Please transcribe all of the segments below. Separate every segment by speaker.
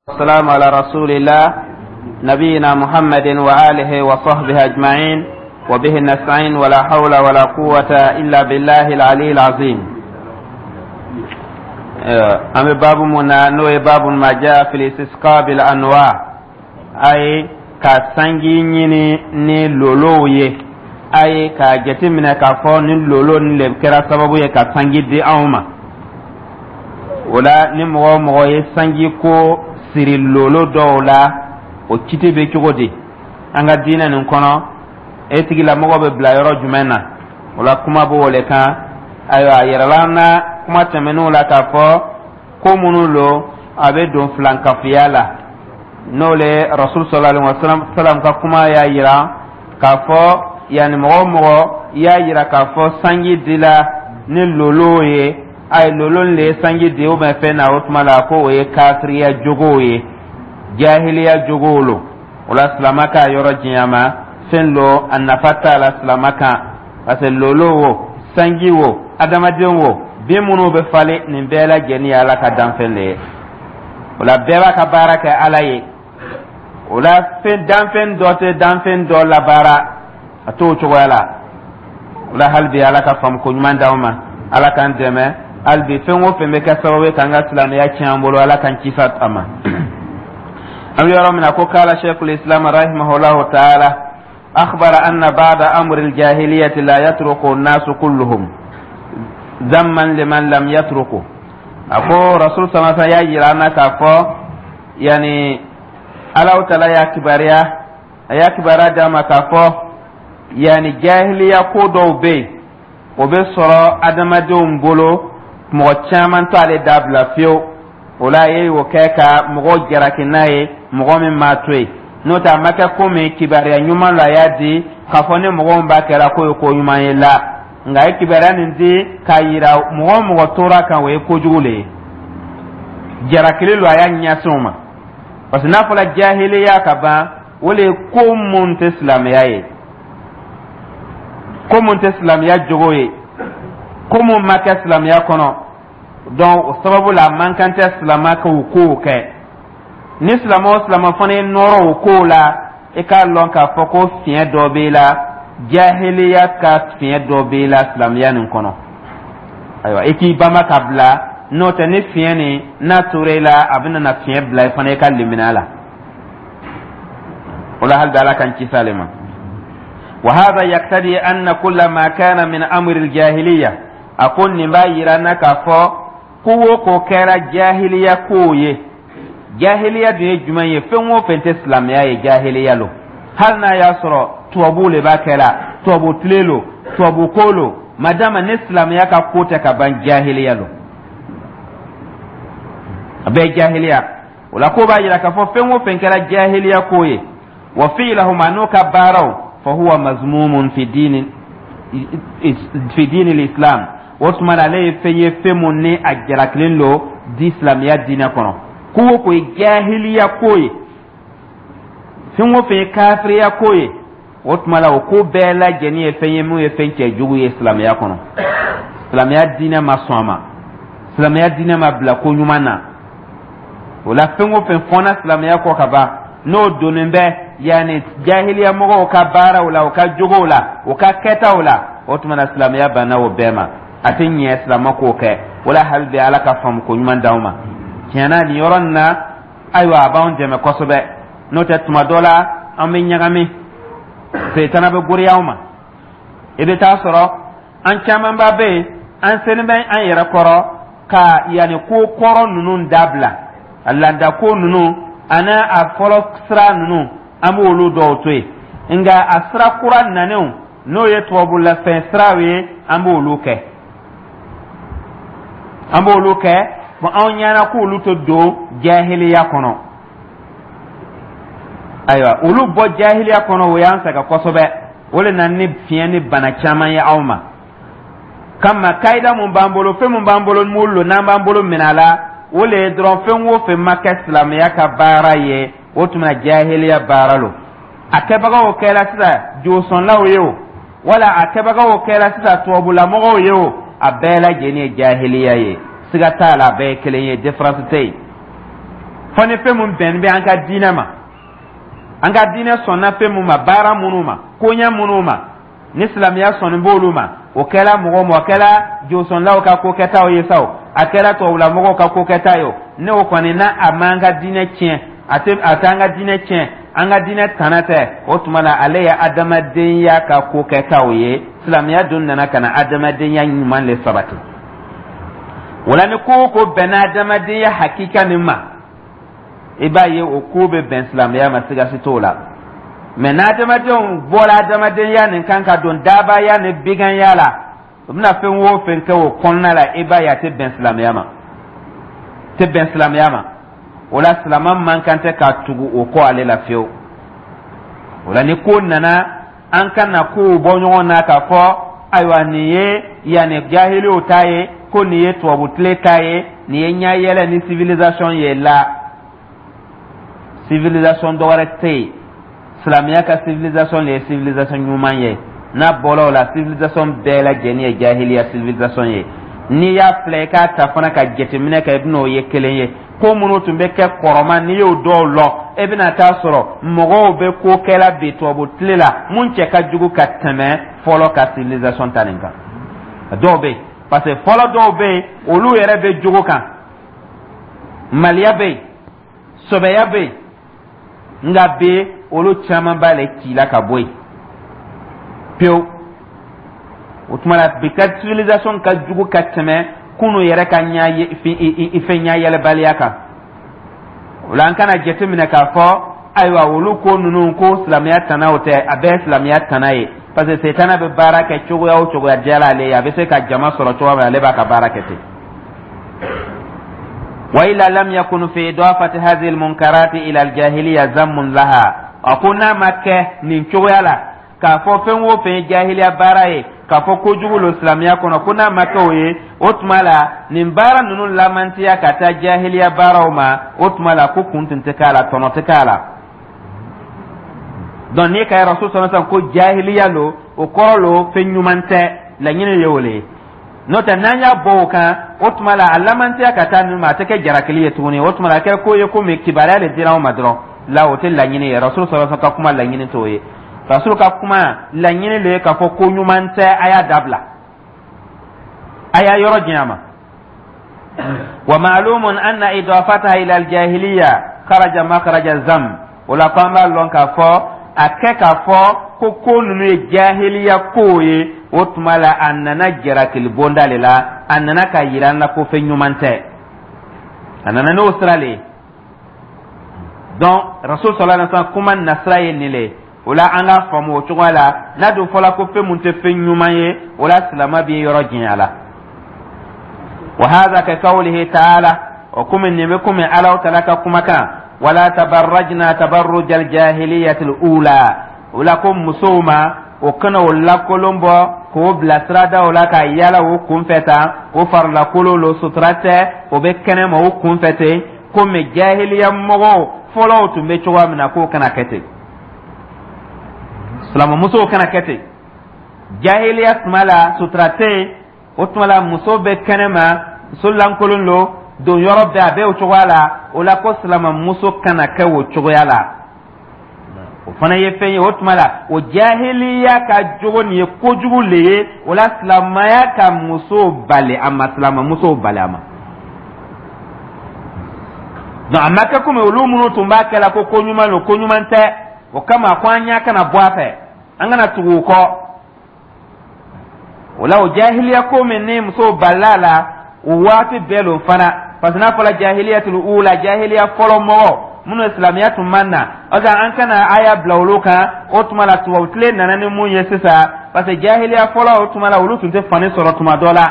Speaker 1: والسلام على رسول الله نبينا محمد وآله وصحبه أجمعين وبه نستعين ولا حول ولا قوة إلا بالله العلي العظيم. An bɛ baabu mun na, n'o ye باب ما جاء في الاستسقاء بالأنواء, ayi, ka sanji ɲini ni lolow ye, ayi, k'a jateminɛ k'a fɔ ni lolo ni le kɛra sababu ye ka sanji di anw ma. O la, ni mɔgɔ o mɔgɔ ye sanji ko siri lolo dɔw la, o kiti bɛ cogo di an ka diinɛ nin kɔnɔ? E tigilamɔgɔ bɛ bila yɔrɔ jumɛn na? O la, kuma b'o le kan. Ayiwa, a yirala an na kuma tɛmɛnenw la k'a fɔ ko minnu lo, a bɛ don filankafiya la, n'o le Rasul صلى الله عليه وسلم ka kuma y'a yira k'a fɔ, yanni mɔgɔ o mɔgɔ y'a yira k'a fɔ sanji dila ni lolo ye, ayi, lolo le ye sanji di ou bien fɛn na, o tuma la ko o ye kafiriya jogow ye, jahiliya jogow lo. O la, silama k'a yɔrɔ janya ma fɛn lo, a nafa t'a la silama kan, parce que lolo wo, sanji wo, adamaden wo, bin minnu bɛ falen, nin bɛɛ lajɛlen ye Ala ka danfɛn de ye. O la, bɛɛ b'a ka baara kɛ Ala ye. O la, fɛn danfɛn dɔ tɛ danfɛn dɔ labaara, a t'o cogoya la. O la, hali bi, Ala ka faamu ko ɲuman d'anw ma, Ala k'an dɛmɛ. Hali bi, fɛn o fɛn bɛ kɛ sababu ye k'an ka silamɛya tiɲɛ an bolo, Ala k'an kisi a ma. An bɛ yɔrɔ min na ko قال شيخ الإسلام رحمه الله تعالى أخبر أن بعض أمور الجاهلية لا يترك الناس كلهم ذما لمن لم يتركه. A ko Rasul sama y'a yira an na k'a fɔ, yanni Alahu Taala y'a kibaruya, a y'a kibaruya d'a ma k'a fɔ, yanni jahiliya ko dɔw bɛ yen, o bɛ sɔrɔ adamadenw bolo, mɔgɔ caman t'ale dabila fiyewu. O la, a ye o kɛ ka mɔgɔw jalaki n'a ye, mɔgɔ min m'a to yen. N'o tɛ, a ma kɛ komi kibaruya ɲuman la a y'a di k'a fɔ ni mɔgɔ min b'a kɛra k'o ye ko ɲuman ye la, nka a ye kibaruya nin di k'a yira mɔgɔ o mɔgɔ tora kan, o ye kojugu le ye, jalakili lo a y'a ɲɛsin o ma. Parce que n'a fɔra jahiliya ka ban, o le ye ko mun tɛ silamɛya ye, ko mun tɛ silamɛya jogo ye, ko mun ma kɛ silamɛya kɔnɔ. Donc o sababu la, a man kan tɛ silama k'o kow kɛ. Ni silamɛ o silamɛ fana ye nɔrɔ o kow la, i k'a lɔn k'a fɔ ko fiɲɛ dɔ b'i la, jahiliya ka fiɲɛ dɔ b'i la silamɛya nin kɔnɔ. Ayiwa, i k'i banba ka bila, n'o tɛ, ni fiɲɛ nin n'a tora i la, a bɛna na fiɲɛ bila i fana i ka limaniya la. O la, hali bi, Ala k'an kisi ale ma. وهذا يقتضي أن كل ما كان من أمر الجاهلية, a ko nin b'a yira na k'a fɔ ko o ko kɛra jahiliya kow ye. Jahiliya dun ye jumɛn ye? Fɛn o fɛn tɛ silamɛya ye, jahiliya lo. Hali n'a y'a sɔrɔ tubabuw le b'a kɛla, tubabu tile lo, tubabu ko lo, madama ni silamɛya ka ko tɛ ka ban, jahiliya lo, a bɛɛ jahiliya. O la, ko b'a yira k'a fɔ fɛn o fɛn kɛra jahiliya ko ye, وفعلهم, an'o ka baaraw, فهو مذموم في دين الإسلام. O tuma na, ale ye fɛn ye, fɛn mun ni a jalakilen lo di silamɛya diinɛ kɔnɔ. Ko o ko ye jahiliya ko ye, fɛn o fɛn ye kafiriya ko ye, o tuma la, o ko bɛɛ lajɛlen ye fɛn ye mun ye fɛn cɛjugu ye silamɛya kɔnɔ. Silamɛya diinɛ ma sɔn a ma, silamɛya diinɛ ma bila ko ɲuman na. O la, fɛn o fɛn fɔnna silamɛya kɔ ka ban, n'o donnen bɛ yanni jahiliya mɔgɔw ka baaraw la, u ka jogow la, u ka kɛtaw la, o tuma na, silamɛya banna o bɛɛ ma, a tɛ ɲɛ silamɛ k'o kɛ. O la, hali bi, Ala ka faamu ko ɲuman d'anw ma. Tiɲɛna, nin yɔrɔ nin na, ayiwa, a b'anw dɛmɛ kosɛbɛ. N'o tɛ, tuma dɔ la an bɛ ɲagami, setana bɛ goriya anw ma. I bɛ taa sɔrɔ an camanba bɛ yen, an selen bɛ an yɛrɛ kɔrɔ ka yanni ko kɔrɔ ninnu dabila, a laada ko ninnu ani a fɔlɔ sira ninnu, an b'olu dɔw to yen, nka a sira kura nanenw, n'o ye tubabulafɛn siraw ye, an b'olu kɛ, an b'olu kɛ. Bon, anw ɲɛna k'olu tɛ don jahiliya kɔnɔ. Ayiwa, olu bɔ jahiliya kɔnɔ, o y'an sɛgɛn kosɛbɛ. O de nana ni fiɲɛ ni bana caman ye anw ma. Kama kayida mun b'an bolo, fɛn mun b'an bolo m'olu lo, n'an b'an bolo minɛ a la, o le ye dɔrɔn fɛn o fɛn ma kɛ silamɛya ka baara ye, o tuma na jahiliya baara lo. A kɛbagaw kɛra sisan josɔnlaw ye o, wala a kɛbagaw kɛra sisan tubabulamɔgɔw ye o, a bɛɛ lajɛlen ye jahiliya ye, siga t'a la, a bɛɛ ye kelen ye, différence tɛ yen. Fɔ ni fɛn mun bɛn bɛ an ka diinɛ ma, an ka diinɛ sɔnna fɛn mun ma, baara minnu ma, koɲɛ minnu ma, ni silamɛya sɔnni b'olu ma, o kɛla mɔgɔ ma, o kɛla josɔnlaw ka ko kɛtaw ye sa o, a kɛra tubabulamɔgɔw ka ko kɛta ye o, ne o kɔni n'a a m'an ka diinɛ tiɲɛ, a tɛ a t'an ka diinɛ tiɲɛ, an ka diinɛ tana tɛ, o tuma na ale ye adamadenya ka ko kɛtaw ye. Silamɛya dun nana ka na adamadenya ɲuman le sabati. O la, ni ko o ko bɛnna adamadenya hakika nin ma, i b'a ye o ko bɛ bɛn silamɛya ma, sigasi t'o la. Mɛ n'adamadenw bɔra adamadenya nin kan ka don daabaya ni biganya la, u bɛna fɛn o fɛn kɛ o kɔnɔna la, i b'a ye a tɛ bɛn silamɛya ma, tɛ bɛn silamɛya ma. O la, silama man kan tɛ ka tugu o kɔ ale la fiyewu. O la, ni ko nana, an kana kow bɔ ɲɔgɔn na k'a fɔ ayiwa, nin ye yanni jahiliw ta ye, ko nin ye tubabu tile ta ye, nin ye ɲayɛlɛ ni civilisation ye. La civilisation dɔ wɛrɛ tɛ yen, silamɛya ka civilisation de ye civilisation ɲuman ye. N'a bɔra o la, civilisation bɛɛ lajɛlen ye jahiliya civilisation ye. N'i y'a filɛ, i k'a ta fana ka jateminɛ kɛ, i bɛn'o ye kelen ye. Ko minnu tun bɛ kɛ kɔrɔma, n'i y'o dɔw lɔ, e bɛna taa sɔrɔ mɔgɔw bɛ ko kɛla bi tubabu tile la mun cɛ ka jugu ka tɛmɛ fɔlɔ ka civilisation ta nin kan. Dɔw bɛ yen, parce que fɔlɔ dɔw bɛ yen, olu yɛrɛ bɛ jogo kan, maliya bɛ yen, sɔbɛya bɛ yen. Nka bi, olu caman b'ale ci la ka bɔ yen pewu. O tuma na, bi ka civilisation ka jugu ka tɛmɛ kunu yɛrɛ ka ɲɛ fɛn ɲayɛlɛbaliya kan. O la, an kana jateminɛ k'a fɔ ayiwa, olu ko ninnu ko silamɛya tana o tɛ, a bɛɛ ye silamɛya tana ye, parce que setana bɛ baara kɛ cogoya o cogoya diyara ale ye, a bɛ se ka jama sɔrɔ cogoya min na, ale b'a ka baara kɛ ten. وإلا لم يكن في إضافة هذه المنكرات إلى الجاهلية ذم لها. A ko n'a ma kɛ nin cogoya la, k'a fɔ fɛn o fɛn ye jahiliya baara ye, k'a fɔ kojugu lo silamɛya kɔnɔ, ko n'a ma kɛ o ye, o tuma la nin baara ninnu lamantiya ka taa jahiliya baaraw ma, o tuma la ko kun tun tɛ k'a la, tɔnɔ tɛ k'a la. Donc n'i ka rasul sɔrɔ sisan ko jahiliya lo, o kɔrɔ lo fɛn ɲuman tɛ, laɲini ye o le ye. N'o tɛ, n'an y'a bɔ o kan, o tuma la a lamantiya ka taa ninnu ma, a tɛ kɛ jarakili ye tuguni. O tuma la a kɛra ko ye komi kibaruya de dira anw ma dɔrɔn la, o tɛ laɲini ye. Rasul sɔrɔ ka kuma laɲini t'o ye. Rasul ka kuma laɲini de ye k'a fɔ ko ɲuman tɛ, a y'a dabila, a y'a yɔrɔ janya ma. ومعلوم أن إضافتها إلى الجاهلية خرج مخرج الذم. O la, ko an b'a lɔn k'a fɔ a kɛ k'a fɔ ko ko ninnu ye jahiliya kow ye, o tuma la a nana jarakili bonda de la, a nana ka yira an na ko fɛn ɲuman tɛ, a nana n'o sira le ye. Donc rasul صلى الله عليه وسلم kuma nasira ye nin le ye. O la, an k'a faamu o cogoya la. N'a dun fɔla ko fɛn mun tɛ fɛn ɲuman ye, o la silama b'i yɔrɔ janya la. وهذا كقوله تعالى, o komi nin bɛ komi Alahu taala ka kumakan: ولا تبرجن تبرج الجاهلية الأولى. O la, ko musow ma, o kana o lakolon bɔ k'o bila siradaw la ka yala o kunfɛ tan, o farilakolon lo, sutura tɛ, o bɛ kɛnɛ ma o kunfɛ ten, komi jahiliya mɔgɔw fɔlɔw tun bɛ cogoya min na, k'o kana kɛ ten. Silamɛmusow kana kɛ ten. Jahiliya tuma la, sutura tɛ yen. O tuma la, muso bɛ kɛnɛ ma, muso lankolon lo, don yɔrɔ bɛɛ a bɛ o cogoya la. O la, ko silamɛmuso kana kɛ o cogoya la, o fana ye fɛn ye. O tuma la, o jahiliya ka jogo nin ye kojugu le ye. O la, silamɛya ka muso bali a ma, silamɛmusow bali a ma. Donc a ma kɛ komi olu minnu tun b'a kɛ la ko ko ɲuman don, ko ɲuman tɛ. O kama ko an ɲɛ kana bɔ a fɛ, an kana tugu o kɔ. O la, o jahiliya ko min ni musow balila a la, o waati bɛɛ lo fana, parce que n'a fɔra جاهلية الأولى, jahiliya fɔlɔ mɔgɔ minnu ye silamɛya tun man na, o an kana aya bila olu kan. O tuma la, tubabu tile nana ni mun ye sisan? Parce que jahiliya fɔlɔ, o tuma la, olu tun tɛ fani sɔrɔ tuma dɔ la.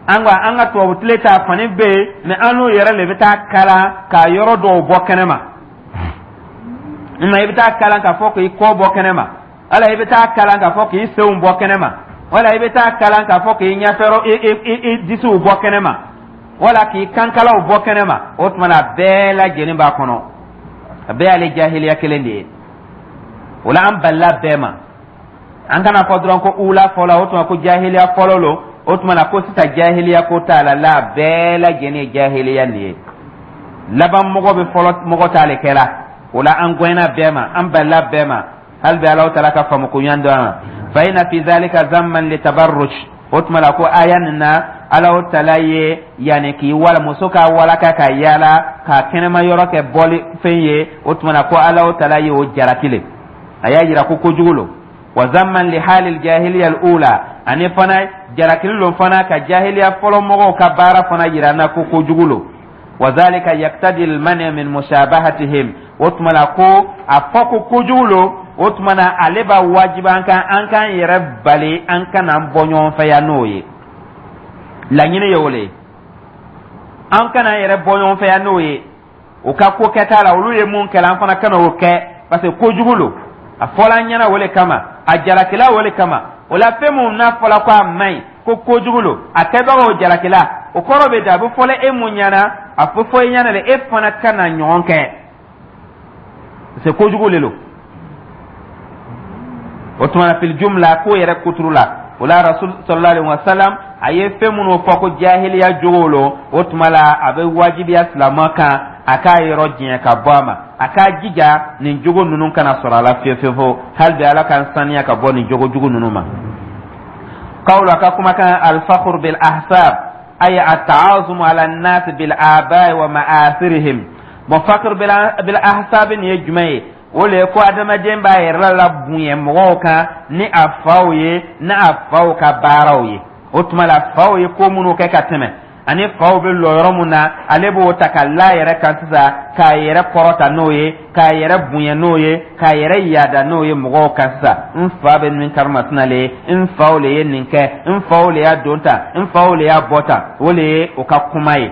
Speaker 1: An ka an ka tubabu tile ta, fani bɛ yen, mɛ an n'u yɛrɛ de bɛ taa kalan k'a yɔrɔ dɔw bɔ kɛnɛ ma. Nka i bɛ taa kalan k'a fɔ k'i kɔ bɔ kɛnɛ ma, wala i bɛ taa kalan k'a fɔ k'i senw bɔ kɛnɛ ma, wala i bɛ taa kalan k'a fɔ k'i ɲɛfɛrɔ i disiw bɔ kɛnɛ ma, wala k'i kankalaw bɔ kɛnɛ ma. O tuma na, a bɛɛ lajɛlen b'a kɔnɔ, a bɛɛ y'ale jahiliya kelen de ye. O la, an balila bɛɛ ma. An kana fɔ dɔrɔn ko ula fɔlɔ, o tuma ko jahiliya fɔlɔ lo, o tuma na ko sisan jahiliya ko t'a la. La, bɛɛ lajɛlen ye jahiliya nin ye. Laban mɔgɔ bɛ fɔlɔ mɔgɔ ta le kɛla. O la, an gɛnna bɛɛ ma, an balila bɛɛ ma. Hali bi Alahu taala ka faamu ko ɲan dɔn ma. Fa inna fi zalika zamman li tabarruj. O tuma la ko aya nin na, Alahu taala ye yanni k'i wala muso ka walaka ka yaala ka kɛnɛma yɔrɔ kɛ bɔli fɛn ye. O tuma na ko Alahu taala ye o jalaki le, a y'a yira ko kojugu lo. Wa zamman li halil jahiliya al ula, ani fana jalakili lo fana ka jahiliya fɔlɔ mɔgɔw ka baara fana yira na ko kojugu lo. Wa zalika yaktadi al mani min mushabahatihim. O tuma la ko a fɔ ko kojugu lo, o tuma na ale b'a wajibi an kan, an k'an yɛrɛ bali, an kana an bɔ ɲɔgɔn fɛ yan. N'o ye laɲini ye, o le ye an kana an yɛrɛ bɔ ɲɔgɔn fɛ yan n'o ye. O ka ko kɛta la, olu ye mun kɛla, an fana kana o kɛ, parce que kojugu lo. A fɔla an ɲɛna o le kama, a jalakila o le kama. O la, fɛn mun n'a fɔla ko a man ɲi, ko kojugu lo, a kɛbagaw jalakila, o kɔrɔ bɛ da a bɛ fɔla e mun ɲɛna, a bɛ fɔ e ɲɛna de, e fana kana ɲɔgɔn kɛ, parce que kojugu le lo. O tuma na, fil jumla, ko yɛrɛ kuturu la, o la Rasul sallallahu alaihi wasallam a ye fɛn minnu fɔ ko jahiliya jogo lo, o tuma la a bɛ wajibiya silamɛ kan a k'a yɔrɔ janya ka bɔ a ma, a k'a jija nin jogo ninnu kana sɔrɔ a la fiyewu fiyewu. Hali bi Ala k'an saniya ka bɔ nin jogo jugu ninnu ma. Qawlu, a ka kumakan, alfakhru bil ahsab ay at-ta'azumu ala an-nas bil abai wa ma'asirihim. Bon, fakhr bil ahsab nin ye jumɛn ye? O le ye ko adamaden b'a yɛrɛ la bonya mɔgɔw kan ni a faw ye, ni a faw ka baaraw ye. O tuma la, faw ye ko minnu kɛ ka tɛmɛ, ani faw bɛ lɔ yɔrɔ mun na, ale b'o ta ka la yɛrɛ kan sisan, k'a yɛrɛ kɔrɔta n'o ye, k'a yɛrɛ bonya n'o ye, k'a yɛrɛ yaada n'o ye mɔgɔw kan sisan. N fa bɛ nin karimasina le ye, n faw le ye nin kɛ, n faw le y'a don tan, n faw le y'a bɔ tan. O le ye o ka kuma ye.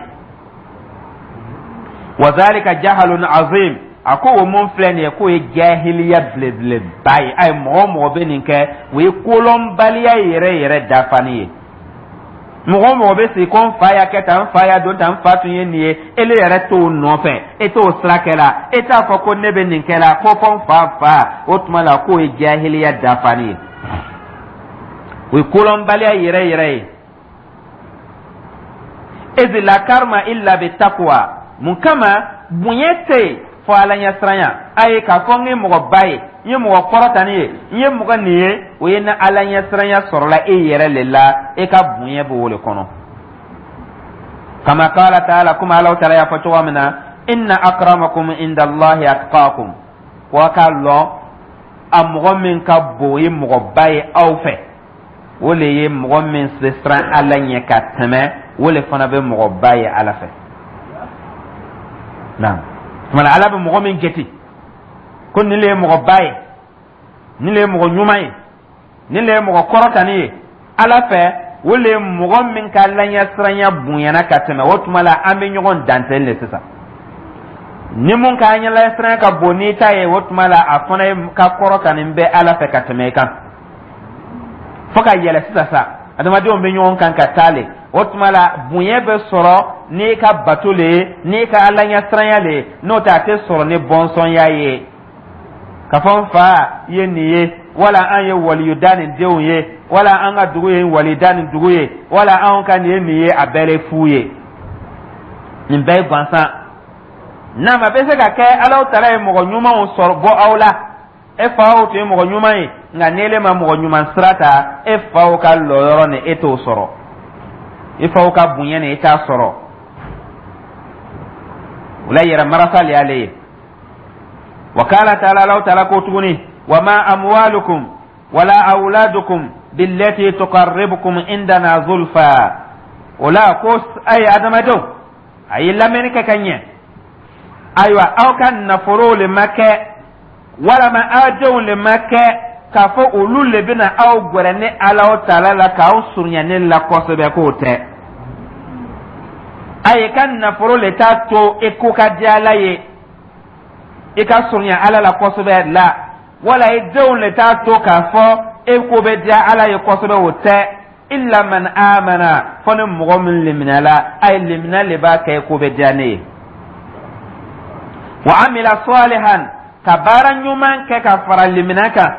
Speaker 1: Wa zalika jahalun azim. A ko o mun filɛ nin ye, k'o ye jahiliya belebeleba ye. Ayi, mɔgɔ o mɔgɔ bɛ nin kɛ, o ye kolɔnbaliya yɛrɛ yɛrɛ dafani ye. Mɔgɔ o mɔgɔ bɛ sigi ko n fa y'a kɛ tan, n fa y'a don tan, n fa tun ye nin ye, ele yɛrɛ t'o nɔfɛ, e t'o sira kɛ la, e t'a fɔ ko ne bɛ nin kɛ la, ko fɔ n fa fa, o tuma la k'o ye jahiliya dafani ye, o ye kolɔnbaliya yɛrɛ yɛrɛ ye. Iz la karma illa bi taqwa. Mun kama? Bonya tɛ yen fɔ Ala ɲɛsiranya. A ye k'a fɔ n ye mɔgɔba ye, n ye mɔgɔ kɔrɔtani ye, n ye mɔgɔ nin ye, o ye ni Ala ɲɛsiranya sɔrɔla e yɛrɛ le la, e ka bonya b'o o le kɔnɔ. Kama qala ta'ala, komi Ala taala y'a fɔ cogo min na: inna akramakum inda Allahi atqakum. Ko a k'a lɔn, a mɔgɔ min ka bon, o ye mɔgɔba ye aw fɛ, o le ye mɔgɔ min bɛ siran Ala ɲɛ ka tɛmɛ, o le fana bɛ mɔgɔba ye Ala fɛ. Naam, tuma Ala bɛ mɔgɔ min jate ko nin le ye mɔgɔba ye, nin le ye mɔgɔ ɲuman ye, nin le ye mɔgɔ kɔrɔtani ye Ala fɛ, o le ye mɔgɔ min ka laɲɛsiranya bonyana ka tɛmɛ. O tuma la, an bɛ ɲɔgɔn dantɛli le sisan. Ni mun ka ɲɛsiranya ka bon n'i ta ye, o tuma la a fana ye ka kɔrɔtani bɛ Ala fɛ ka tɛmɛ i kan, fo ka yɛlɛ sisan sa. Adamadenw bɛ ɲɔgɔn kan ka taa le. O tuma la, bonya bɛ sɔrɔ n'i ka bato le ye, n'i ka Ala ɲɛsiranya le ye. N'o tɛ, a tɛ sɔrɔ ni bɔnsɔnya ye, ka fɔ n fa ye nin ye, wala an ye waliyuda nin denw ye, wala an ka dugu ye walida nin dugu ye, wala anw ka nin ye nin ye. A bɛɛ ye fu ye, nin bɛɛ ye gansan. Naam, a bɛ se ka kɛ Alahu taala ye mɔgɔ ɲumanw sɔrɔ bɔ aw la, e faw tun ye mɔgɔ ɲuman ye, nka n'ele ma mɔgɔ ɲuman sira ta, e faw ka lɔyɔrɔ ni e t'o sɔrɔ, i faw ka bonya ni e t'a sɔrɔ. O la, yɛrɛ marasa le y'ale ye. Wa qala ta'ala, Alahu taala ko tuguni: wa ma amwalukum wala awladukum billati tuqarribukum indana zulfa. O la ko a ye adamadenw, a ye lamɛnni kɛ ka ɲɛ. Ayiwa, aw ka nafolo le ma kɛ, walama aw denw le ma kɛ k'a fɔ olu le bɛna aw gwɛrɛ ni Alahu taala la, k'aw surunya ne la kosɛbɛ, k'o tɛ. A ye ka nafolo le t'a to i ko ka di Ala ye, i ka surunya Ala la kosɛbɛ la, wala i denw le t'a to k'a fɔ e ko bɛ diya Ala ye kosɛbɛ, o tɛ. Illa man amana, fɔ ni mɔgɔ min liminala. A ye limina le b'a kɛ ko bɛ diya ne ye. Wa amila salihan, ka baara ɲuman kɛ ka fara limina kan.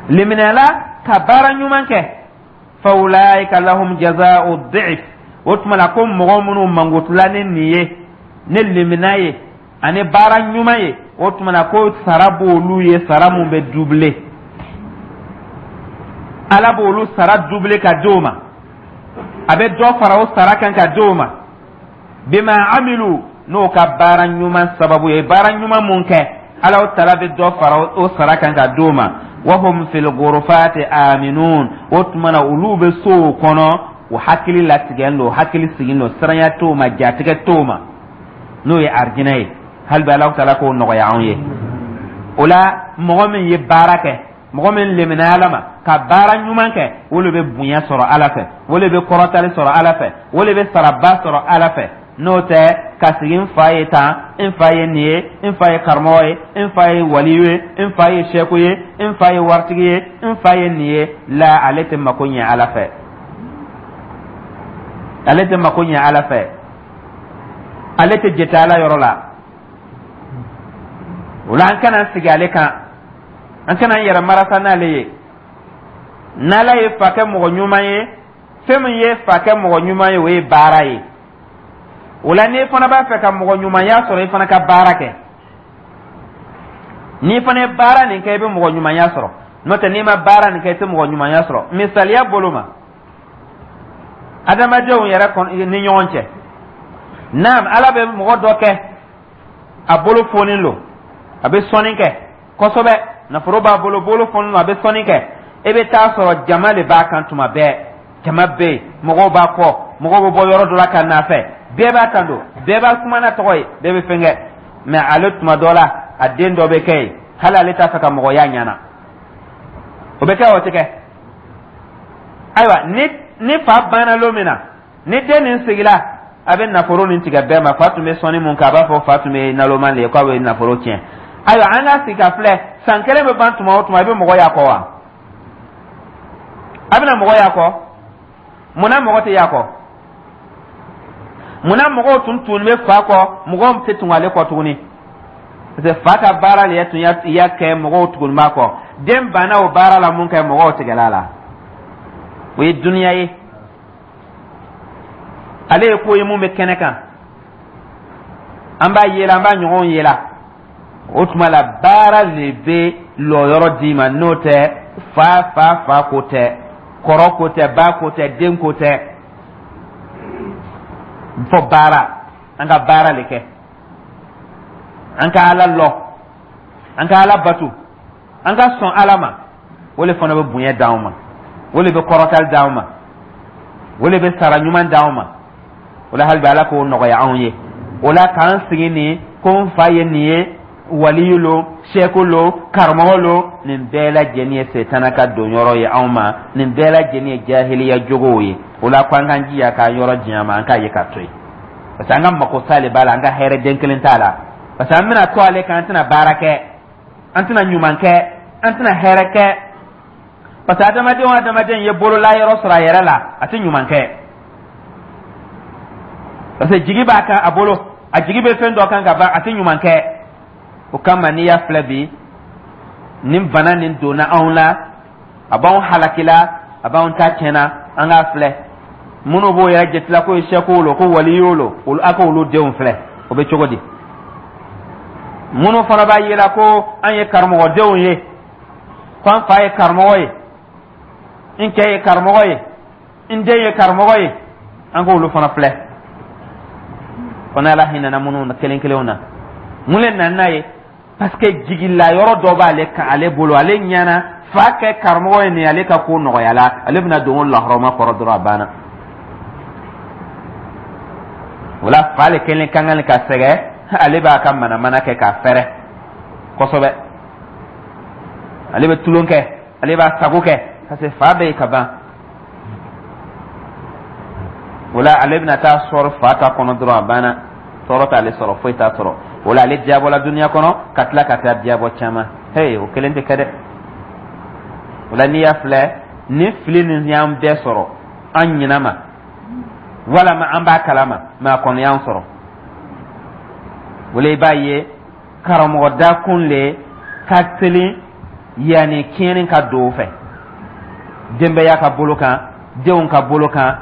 Speaker 1: Liminala ka baara ɲuman kɛ, fa ulaika lahum jaza'u dhi'f. O tuma la, ko mɔgɔ minnu mankutula ni nin ye, ni limina ye ani baara ɲuman ye, o tuma na ko sara b'olu ye, sara mun bɛ dubile. Ala b'olu sara dubile ka di o ma, a bɛ dɔ fara o sara kan ka di o ma. Bima amilu, n'o ka baara ɲuman sababu ye, baara ɲuman mun kɛ, Ala taala bɛ dɔ fara o sara kan ka di o ma. Wahum fil ghurfati aminun. O tuma na, olu bɛ sow kɔnɔ, u hakili latigɛlen don, hakili sigilen don, siranya t'o ma, jatigɛ t'o ma, n'o ye arijinɛ ye. Hali bi Ala taala k'o nɔgɔya anw ye. O la, mɔgɔ min ye baara kɛ, mɔgɔ min lemina Ala ma ka baara ɲuman kɛ, o de bɛ bonya sɔrɔ Ala fɛ, o de bɛ kɔrɔtali sɔrɔ Ala fɛ, o de bɛ saraba sɔrɔ Ala fɛ. N'o tɛ, ka sigi n fa ye tan, n fa ye nin ye, n fa ye karamɔgɔ ye, n fa ye waliyu ye, n fa ye sɛku ye, n fa ye waritigi ye, n fa ye nin ye, la, ale tɛ mako ɲɛ Ala fɛ, ale tɛ mako ɲɛ Ala fɛ, ale tɛ jate Ala yɔrɔ la. O la, an kana sigi ale kan, an kana an yɛrɛ marasa n'ale ye. N'Ala ye fa kɛ mɔgɔ ɲuman ye, fɛn min ye fa kɛ mɔgɔ ɲuman ye, o ye baara ye. O la, n'i fana b'a fɛ ka mɔgɔ ɲumanya sɔrɔ, i fana ka baara kɛ. N'i fana ye baara nin kɛ, i bɛ mɔgɔ ɲumanya sɔrɔ. N'o tɛ, n'i ma baara nin kɛ, i tɛ mɔgɔ ɲumanya sɔrɔ. Misaliya bolo ma, adamadenw yɛrɛ ni ɲɔgɔn cɛ, naam, Ala bɛ mɔgɔ dɔ kɛ a bolo fonin lo, a bɛ sɔnni kɛ kosɛbɛ, nafolo b'a bolo, bolo fonin lo, a bɛ sɔnni kɛ. E bɛ taa sɔrɔ jama de b'a kan tuma bɛɛ, jama bɛ yen, mɔgɔw b'a kɔ, mɔgɔw bɛ bɔ yɔrɔ dɔ la ka n'a fɛ, bɛɛ b'a kan don, bɛɛ b'a kuma n'a tɔgɔ ye, bɛɛ bɛ fɛn kɛ. Mɛ ale, tuma dɔ la, a den dɔ bɛ kɛ yen, hali ale t'a fɛ ka mɔgɔ y'a ɲɛna. O bɛ kɛ, o tɛ kɛ? Ayiwa, ni fa banna lon min na, ni den nin sigila, a bɛ nafolo nin tigɛ bɛɛ ma. Fa tun bɛ sɔnni mun kɛ, a b'a fɔ fa tun bɛ naloma de ye, k'a bɛ nafolo tiɲɛ. Ayiwa, an ka sigi ka filɛ, san kelen bɛ ban tuma o tuma, i bɛ mɔgɔ y'a kɔ wa? A bɛna mɔgɔ y'a kɔ? Munna mɔgɔ tɛ y'a kɔ? Munna mɔgɔw tun bɛ fa kɔ, mɔgɔw tɛ tun ale kɔ tuguni? Parce que fa ka baara de tun y'a kɛ mɔgɔw tuguni b'a kɔ. Den banna o baara la mun kɛ, mɔgɔw tigɛla la. O ye duniya ye, ale ye ko ye mun bɛ kɛnɛ kan, an b'a yela, an b'a ɲɔgɔnw yela. O tuma la, baara de bɛ lɔyɔrɔ d'i ma. N'o tɛ, fa ko tɛ, kɔrɔ ko tɛ, ba ko tɛ, den ko tɛ, fɔ baara. An ka baara de kɛ, an ka Ala lɔ, an ka Ala batu, an ka sɔn Ala ma. O de fana bɛ bonya d'anw ma, o de bɛ kɔrɔtali d'anw ma, o de bɛ sara ɲuman d'anw ma. O la, hali bi Ala k'o nɔgɔya anw ye. O la, k'an sigi nin ko n fa ye nin ye, waliyu lo, sɛku lo, karamɔgɔ lo, nin bɛɛ lajɛlen ye setana ka donyɔrɔ ye anw ma, nin bɛɛ lajɛlen ye jahiliya jogow ye. O la, ko an k'an jija k'an yɔrɔ janya ma, an k'a ye k'a to yen, parce que an ka mako sa de b'a la, an ka hɛrɛ den kelen t'a la, parce que an bɛna to ale kan, an tɛna baara kɛ, an tɛna ɲuman kɛ, an tɛna hɛrɛ kɛ, parce que adamaden o adamaden ye bolola yɔrɔ sɔrɔ a yɛrɛ la, a tɛ ɲuman kɛ, parce que jigi b'a kan a bolo, a jigi bɛ fɛn dɔ kan ka ban, a tɛ ɲuman kɛ. O kama, n'i y'a filɛ bi, nin bana nin donna anw la, a b'anw halakila, a b'anw ta tiɲɛna. An k'a filɛ, minnu b'o yɛrɛ jatila ko ye sɛkow lo, ko waliyow lo, olu, a k'olu denw filɛ, o bɛ cogo di? Minnu fana b'a yela ko an ye karamɔgɔdenw ye, ko an fa ye karamɔgɔ ye, n cɛ ye karamɔgɔ ye, n den ye karamɔgɔ ye, an k'olu fana filɛ. Fana, Ala hinɛna minnu na kelen kelenw na. Mun le nana n'a ye? Parce que jigila yɔrɔ dɔ b'ale kan, ale bolo, ale ɲɛna fa kɛ karamɔgɔ ye nin, ale ka ko nɔgɔyala, ale bɛna don o lahɔrɔma kɔrɔ dɔrɔn, a banna. O la, fa le kelen ka kan ka sɛgɛn, ale b'a ka manamana kɛ k'a fɛrɛ kosɛbɛ, ale bɛ tulon kɛ, ale b'a sago kɛ, parce que fa bɛ yen ka ban. O la, ale bɛna taa sɔrɔ fa ta kɔnɔ dɔrɔn, a banna, tɔɔrɔ t'ale sɔrɔ, foyi t'a sɔrɔ. O la, ale diyabɔla duniya kɔnɔ ka tila ka taa diyabɔ caman. Hey, o kelen tɛ kɛ dɛ. O la, n'i y'a filɛ, nin fili nin y'an bɛɛ sɔrɔ, an ɲinɛ ma walama an b'a kalama, mɛ a kɔni y'an sɔrɔ. O la, i b'a ye karamɔgɔ dakun le ka teli yanni tiɲɛni ka don o fɛ, denbaya ka bolo kan, denw ka bolo kan.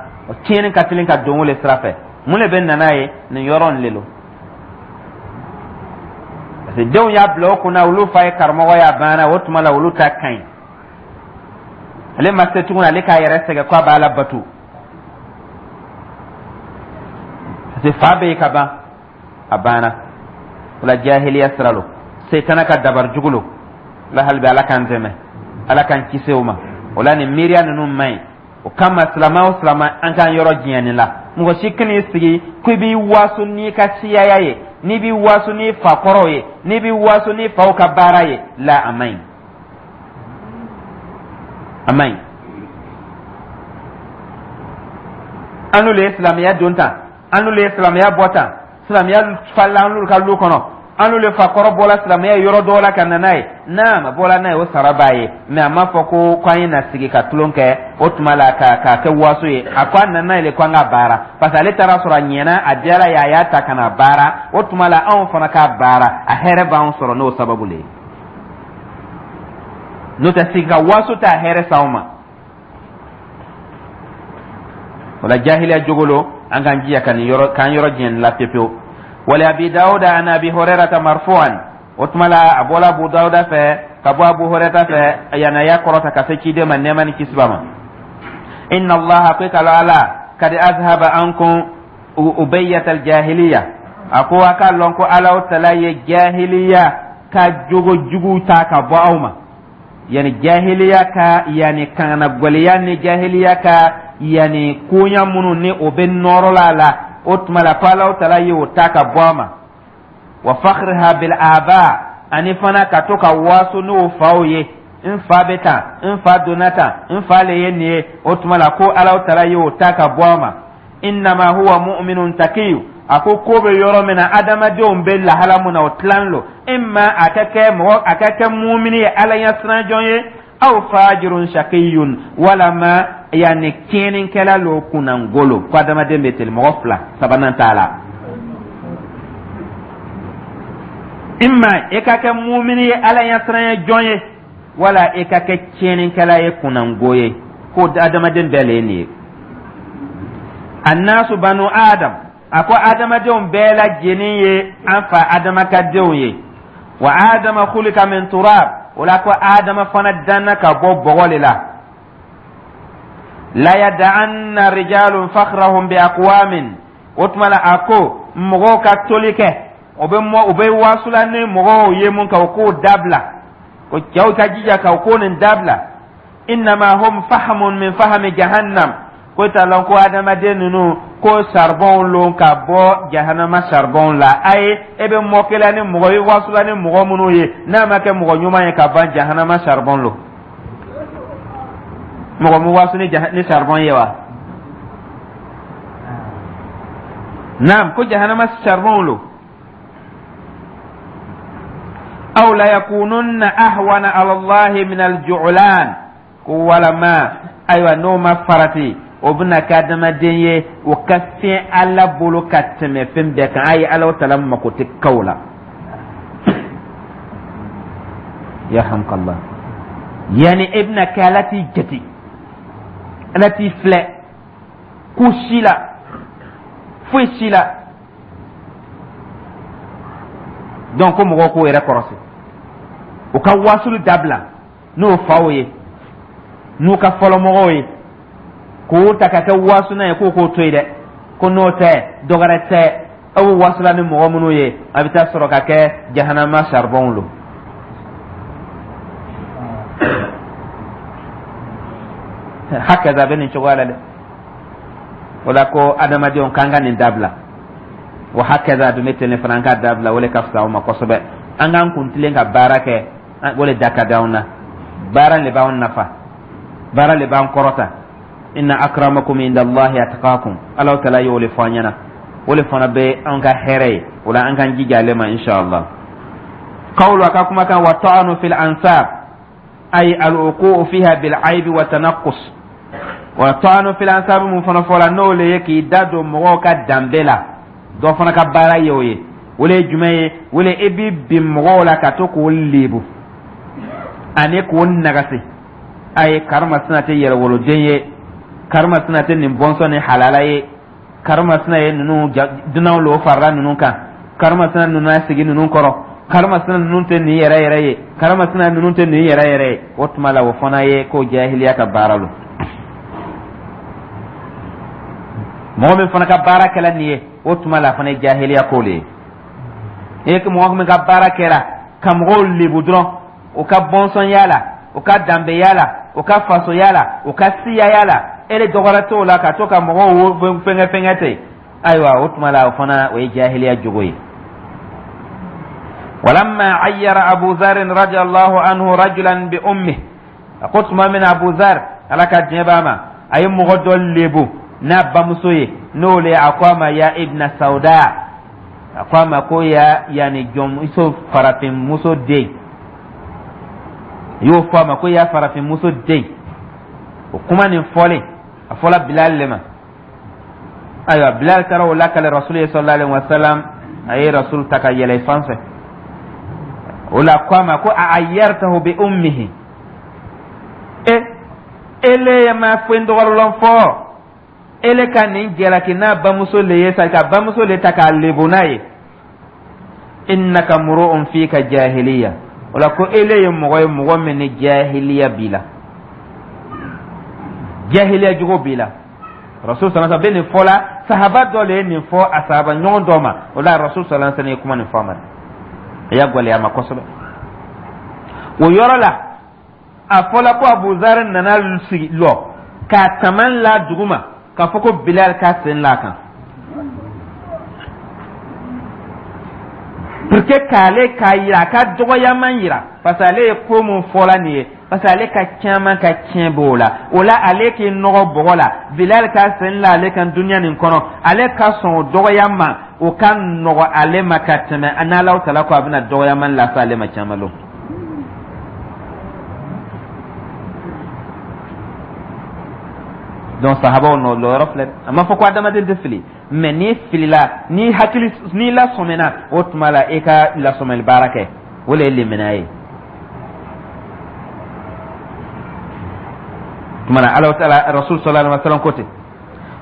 Speaker 1: Tiɲɛni ka teli ka don o le sira fɛ. Mun le bɛ na n'a ye? Nin yɔrɔ nin le lo, parce que denw y'a bila o kunna, olu fa ye karamɔgɔ ye, a banna. O tuma la, olu ta ka ɲi. Ale ma se tuguni, ale k'a yɛrɛ sɛgɛn ko a b'a la bato, parce que fa bɛ yen ka ban, a banna. O la, jahiliya sira lo, setana ka dabari jugu lo la. Hali bi, Ala k'an dɛmɛ, Ala k'an kisi o ma. O la, nin miiriya ninnu man ɲi. O kama, silama o silama, an k'an yɔrɔ janya nin la. Mɔgɔ si kan'i sigi ko i b'i waso n'i ka siyaya ye, n'i b'i waso n'i fakɔrɔw ye, n'i b'i waso n'i faw ka baara ye la. A man ɲi, a man ɲi. An n'olu ye silamɛya don tan, an n'olu ye silamɛya bɔ tan, silamɛya falila an n'olu ka lu kɔnɔ, an n'olu fakɔrɔ bɔla silamɛya yɔrɔ dɔw la ka na n'a ye. N'a ma bɔla n'a ye, o sara b'a ye, mɛ a m'a fɔ ko k'an ye na sigi ka tulon kɛ o tuma la ka k'a kɛ waso ye. A ko a nana n'a ye le ko an ka baara, parce que ale taara sɔrɔ a ɲɛna, a diyara ye, a y'a ta ka na baara. O tuma la, anw fana k'a baara, a hɛrɛ b'anw sɔrɔ n'o sababu le ye. N'o tɛ, sigi ka waso t'a hɛrɛ s'anw ma. O la, jahiliya jogo lo. An k'an jija ka nin yɔrɔ, k'an yɔrɔ janya nin la pepewu. Wali Abi Dawuda an Abi Hurairata marfu'an. O tuma la, a bɔla Abu Dawuda fɛ ka bɔ Abu Hurairata fɛ, yanni a y'a kɔrɔta ka se ciden ma, nɛɛma ni kisi b'a ma. Inna Allaha, ko i k'a lɔn Ala, kadi azhaba ankum ubayyatal jahiliya. A ko a k'a lɔn ko Alahu tala ye jahiliya ka jogo jugu ta ka bɔ aw ma, yani jahiliya ka, yani kanagwɛlɛya ni jahiliya ka, yani koɲa minnu ni o bɛ nɔrɔ la a la. O tuma la, ko Alahu tala ye o ta ka bɔ a ma. Wa fakhriha bil aba, ani fana ka to ka waso n'o faw ye: n fa bɛ tan, n fa donna tan, n fa le ye nin ye. O tuma la, ko Alahu tala ye o ta ka bɔ a ma. Innama huwa mu'minun takiyu. A ko ko bɛ yɔrɔ min na, adamadenw bɛ lahala mun na, o tilan lo: imma a ka kɛ mɔgɔ, a ka kɛ mumini ye, Ala ɲɛsiranjɔn ye, aw fajirun shakiyun, walama yanni tiɲɛnikɛla lo, kunnangolo. Ko adamaden bɛ teli mɔgɔ fila, sabanan t'a la. Imma i ka kɛ mumini ye, Ala ɲɛsiranya jɔn ye, wala i ka kɛ tiɲɛnikɛla ye, kunnango ye. Ko adamaden bɛɛ le ye nin ye. Annasu banu Adam. A ko adamadenw bɛɛ lajɛlen ye an fa Adama ka denw ye. Wa Adama khulika min turab. O la, ko Adama fana danna ka bɔ bɔgɔ le la. La yada'anna rijalun fakhrahum bi aqwamin. O tuma la, a ko mɔgɔw ka toli kɛ, o bɛ mɔ, u bɛ wasula ni mɔgɔw ye mun kan, o k'o dabila. Ko cɛw ka jija ka o ko nin dabila. Innama hum fahamun min fahami jahannam. Ko t'a lɔn ko adamaden ninnu ko saribɔnw lon ka bɔ jahanama saribɔnw la. Ayi, e bɛ mɔkɛla ni mɔgɔ ye, wasula ni mɔgɔ minnu ye, n'a ma kɛ mɔgɔ ɲuman ye ka ban, jahanama saribɔn lo. Mɔgɔ mu wasu ni saribɔn ye wa? Naam, ko jahanama saribɔnw lo. Aw la yakununna ahwana ala Allahi min alju'lan. Ko walama, ayiwa, n'o ma farati, o bɛna kɛ adamaden ye, o ka fiɲɛ Ala bolo ka tɛmɛ fɛn bɛɛ kan. Ayi, Ala tala mako tɛ kaw la. Yarhamkallah. Yani e bɛna kɛ Ala t'i jate, Ala t'i filɛ ko si la, foyi si la. Donc ko mɔgɔw k'o yɛrɛ kɔrɔsi, u ka wasulu dabila n'o faw ye, n'u ka fɔlɔmɔgɔw ye, k'o ta ka kɛ wasuna ye. K'o k'o to yen dɛ, ko n'o tɛ, dɔwɛrɛ tɛ, aw bɛ wasula ni mɔgɔ minnu ye, a bɛ taa sɔrɔ ka kɛ jahanama saribɔnw lo. Hakaza, bɛ nin cogoya la dɛ. O la, ko adamadenw k'an ka nin dabila. Wa hakaza dun bɛ ten fana, an k'a dabila, o le ka fisa anw ma kosɛbɛ. An k'an kun tilen ka baara kɛ, o le da ka di anw na. Baara le b'anw nafa, baara le b'an kɔrɔta. Inna akramakum inda Allahi atqakum. Ala tala y'o le fɔ an ɲɛna, o le fana bɛ an ka hɛrɛ ye. O la, an k'an jija ale ma, inshallah. Qawlu, a ka kumakan, wa ta'anu fil ansab, ay al-wuqu'u fiha bil aibi wa tanaqqus. Wa ta'anu fil ansab mun fana fɔla, n'o le ye k'i da don mɔgɔw ka danbe la. Dɔ fana ka baara ye o ye. O le ye jumɛn ye? O le e b'i bin mɔgɔw la ka to k'o lebu ani k'o nagasi. A ye karimasina tɛ yɛrɛwoloden ye. Karimasina tɛ nin bɔnsɔn ni halala ye, karimasina ye ninnu dunanw lo farala ninnu kan, karimasina ninnu y'a sigi ninnu kɔrɔ, karimasina ninnu tɛ nin yɛrɛ yɛrɛ ye, karimasina ninnu tɛ nin yɛrɛ yɛrɛ ye. O tuma la, o fana ye ko jahiliya ka baara lo. Mɔgɔ min fana ka baara kɛla nin ye, o tuma la, a fana ye jahiliya ko le ye. E mɔgɔ min ka baara kɛra ka mɔgɔw lebu dɔrɔn, o ka bɔnsɔnya la, o ka danbeya la, o ka fasoya la, o ka siyaya la, e de dɔgɔra t'o la, ka to ka mɔgɔw fɛngɛ fɛngɛ ten, ayiwa, o tuma la, o fana o ye jahiliya jogo ye. Walamma ayyara Abu Zarin radiyallahu anhu rajulan bi ummihi, a ko tuma min na Abu Zar, Ala ka diɲɛ b'a ma, a ye mɔgɔ dɔ lebu n'a bamuso ye, n'o le a ko a ma ya ibna sauda, a ko a ma ko ya yani jɔnmuso, farafinmuso den, y'o fɔ a ma ko ya farafinmuso den. O kuma nin fɔlen, a fɔla Bilal le ma. Ayiwa, Bilal taara o lakale Rasul ye sallallahu alaihi wasallam. A ye Rasul ta ka yɛlɛ fan fɛ o la, ko a ma ko a ayyartahu bi ummihi, e ele ye ma fɛn dɔgɔrɔlɔn fɔ, ele ka nin jalaki n'a bamuso le ye sa, ka bamuso le ta k'a lebu n'a ye. Innaka muru'un fika jahiliya, o la ko ele ye mɔgɔ ye, mɔgɔ min ni jahiliya b'i la, jahiliya jogo b'i la. Rasul sallallahu alaihi wasallam bɛ nin fɔ la, sahaba dɔ le ye nin fɔ a sahaba ɲɔgɔn dɔ ma. O la, Rasul sallallahu alaihi wasallam ye kuma nin fɔ a ma, a y'a gwɛlɛya a ma kosɛbɛ. O yɔrɔ la, a fɔla ko Abu Zar nana sigi lɔ k'a taman la duguma k'a fɔ ko Bilal k'a sen la kan pour que k'ale k'a yira, a ka dɔgɔyaman yira, parce que ale ye ko mun fɔla nin ye, parce que ale ka caman ka tiɲɛ b'o la. O la, ale k'i nɔgɔ bɔgɔ la, Bilal ka sen la ale kan duniya nin kɔnɔ, ale ka sɔn o dɔgɔya ma, o ka nɔgɔ ale ma ka tɛmɛ n'Alahu tala ko a bɛna dɔgɔyaman lase ale ma caman lon. Donc sahabaw nɔ lɔyɔrɔ filɛ. A ma fɔ ko adamaden tɛ fili, mais n'i filila, n'i hakili n'i lasɔmina, o tuma la i ka lasɔmɛli baara kɛ, o le ye limaniya ye. Tuma la, Ala taala Rasul sallallahu alaihi wasallam ko ten.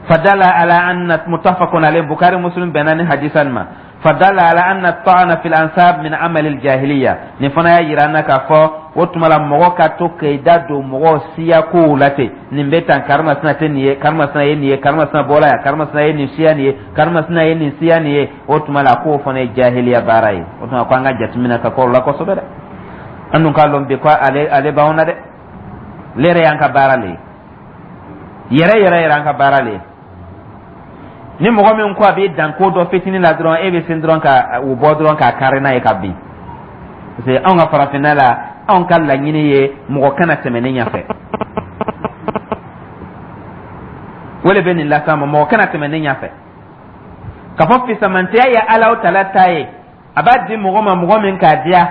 Speaker 1: Fadala ala anna muttafaqun alayhi, Bukhari Muslim bɛnna ni hadisa nin ma. Fadala ala anna ta'ana fil ansab min amali jahiliya, nin fana y'a yira an na k'a fɔ o tuma la, mɔgɔ ka to k'i da don mɔgɔ siya kow la ten, nin bɛ tan, karimasina tɛ nin ye, karimasina ye nin ye, karimasina bɔra yan, karimasina ye nin siya nin ye, karimasina ye nin siya nin ye, o tuma la k'o fana ye jahiliya baara ye. O tuma ko an ka jateminɛ ka kɔrɔ la kosɛbɛ dɛ. An dun k'a lɔn bi ko ale b'anw na dɛ, le yɛrɛ y'an ka baara le ye, yɛrɛ yɛrɛ yɛrɛ an ka baara le ye. Ni mɔgɔ min ko a b'i dan ko dɔ fitinin la dɔrɔn, e bɛ sin dɔrɔn ka o bɔ dɔrɔn k'a kari n'a ye ka bin, parce que anw ka farafinna la, anw ka laɲini ye mɔgɔ kana tɛmɛ ne ɲɛfɛ. O le bɛ nin las'an ma, mɔgɔ kana tɛmɛ ne ɲɛfɛ, k'a fɔ fisamantiya ye Alahu tala ta ye, a b'a di mɔgɔ ma mɔgɔ min k'a diya,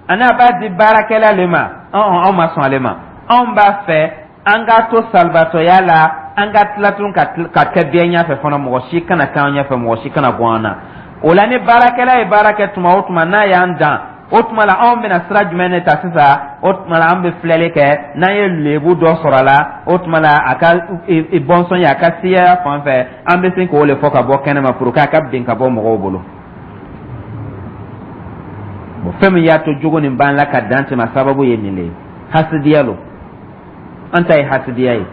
Speaker 1: ani a b'a di baarakɛla le ma. Anw ma sɔn ale ma. Anw b'a fɛ an k'a to salibatɔya la, an ka tila tun ka kɛ bɛɛ ɲɛfɛ fana, mɔgɔ si kana k'an ɲɛfɛ, mɔgɔ si kana bɔ an na. O la, ni baarakɛla ye baara kɛ tuma o tuma n'a y'an dan, o tuma la anw bɛna sira jumɛn de ta sisan? O tuma la, an bɛ filɛli kɛ, n'an ye lebu dɔ sɔrɔ a la, o tuma la a ka bɔnsɔn ye, a ka siyaya fan fɛ, an bɛ sin k'o le fɔ ka bɔ kɛnɛ ma pour que a ka bin ka bɔ mɔgɔw bolo. Bon, fɛn min y'a to jogo nin b'an la ka dan tɛmɛ, sababu ye nin de ye, hasidiya lo. An ta ye hasidiya ye,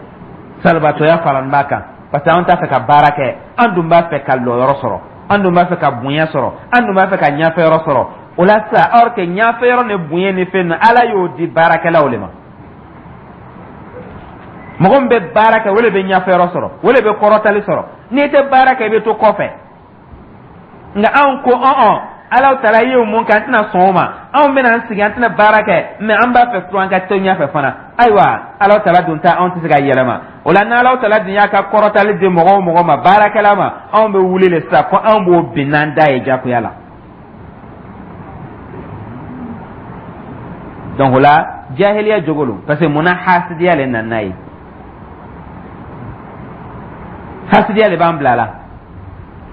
Speaker 1: salibatɔya faralen b'a kan, parce que an t'a fɛ ka baara kɛ, an dun b'a fɛ ka lɔyɔrɔ sɔrɔ, an dun b'a fɛ ka bonya sɔrɔ, an dun b'a fɛ ka ɲɛfɛyɔrɔ sɔrɔ. O la sisan, or que ɲɛfɛyɔrɔ ni bonya ni fɛn ninnu, Ala y'o di baarakɛlaw de ma. Mɔgɔ min bɛ baara kɛ, o de bɛ ɲɛfɛyɔrɔ sɔrɔ, o de bɛ kɔrɔtali sɔrɔ. N'i tɛ baara kɛ, i bɛ to kɔfɛ. Nka anw ko ɔn, Ala taala ye mun kɛ, an tɛna sɔn o ma, anw bɛna an sigi, an tɛna baara kɛ, mais an b'a fɛ to an ka to ɲɛfɛ fana. Ayiwa, Ala taala dun ta, anw tɛ se ka yɛlɛma. O la, n'Ala taala dun y'a ka kɔrɔtali di mɔgɔ o mɔgɔ ma, baarakɛla ma, anw bɛ wuli le sisan ko anw b'o bin n'an da ye jagoya la. Donc o la, jahiliya jogo lo, parce que munna? Hasidiya le nana n'a ye, hasidiya le b'an bila la.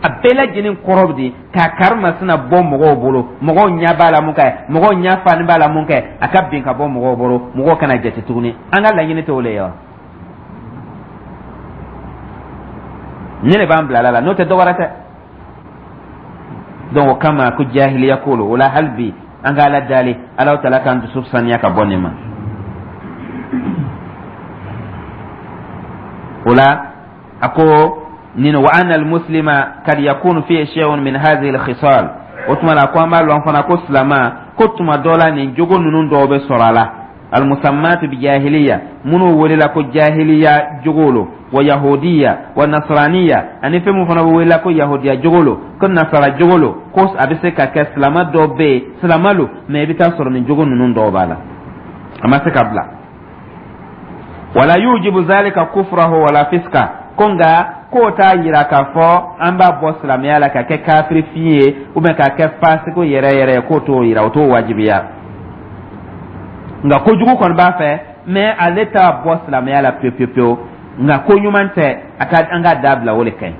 Speaker 1: A bɛɛ lajɛlen kɔrɔ bɛ di k'a karimasina bɔ mɔgɔw bolo, mɔgɔw ɲɛ b'a la mun kɛ, mɔgɔw ɲɛ fani b'a la mun kɛ, a ka bin ka bɔ mɔgɔw bolo, mɔgɔw kana jate tuguni. An ka laɲini tɛ o le ye wa? Nin le b'an bila la, n'o tɛ dɔ wɛrɛ tɛ. Donc o kama ko jahiliya ko lo. O la hali bi an ka Ala dali, Alahu taala k'an dusu saniya ka bɔ nin ma. O la a ko nin wa anna almuslima kad yakunu fihi shay'un min hadhihi alkhisal. O tuma la ko an b'a lɔn fana ko silama ko tuma dɔ la nin jogo ninnu dɔw bɛ sɔrɔ a la, almusammat bi jahiliya, minnu welela ko jahiliya jogo lo, wa yahudiya wa nasraniya, ani fɛn mun fana bɛ welela ko yahudiya jogo lo, ko nasara jogo lo, ko a bɛ se ka kɛ silama dɔ bɛ yen, silama lo, mais i bɛ taa sɔrɔ nin jogo ninnu dɔw b'a la, a ma se ka bila. Wala yujibu zalika kufrahu wala fiska, ko nka k'o t'a yira k'a fɔ an b'a bɔ silamɛya la ka kɛ kafiri fin ye ou bien k'a kɛ fasiko yɛrɛ yɛrɛ ye, k'o t'o yira, o t'o wajibiya. Nka kojugu kɔni b'a fɛ, mais ale t'a bɔ silamɛya la pewu pewu pewu. Nka ko ɲuman tɛ, a ka an k'a dabila, o de ka ɲi.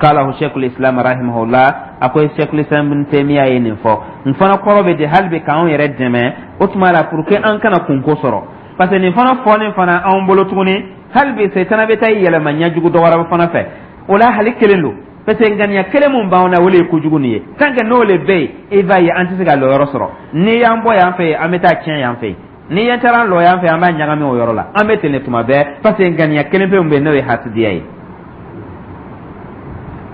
Speaker 1: Qalahu sheikhul islam rahimahullah, a ko sheikhul islam ibn taymiya ye nin fɔ. N fana kɔrɔ bɛ di hali bi k'anw yɛrɛ dɛmɛ o tuma la pour que an kana kunko sɔrɔ, parce que nin fana fɔlen fana anw bolo tuguni, hali bi setana bɛ taa i yɛlɛma ɲɛjugu dɔ wɛrɛ fana fɛ. O la hali kelen don, parce que ŋaniya kelen mun b'anw na, o le ye kojugu nin ye. Tant que n'o le bɛ yen, i b'a ye an tɛ se ka lɔyɔrɔ sɔrɔ. N'i y'an bɔ yan fɛ yen, an bɛ taa tiɲɛ yan fɛ yen. N'i y'an taara an lɔ yan fɛ, an b'a ɲagami o yɔrɔ la. An bɛ ten de tuma bɛɛ, parce que ŋaniya kelen pe min bɛ yen, n'o ye hasidiya ye.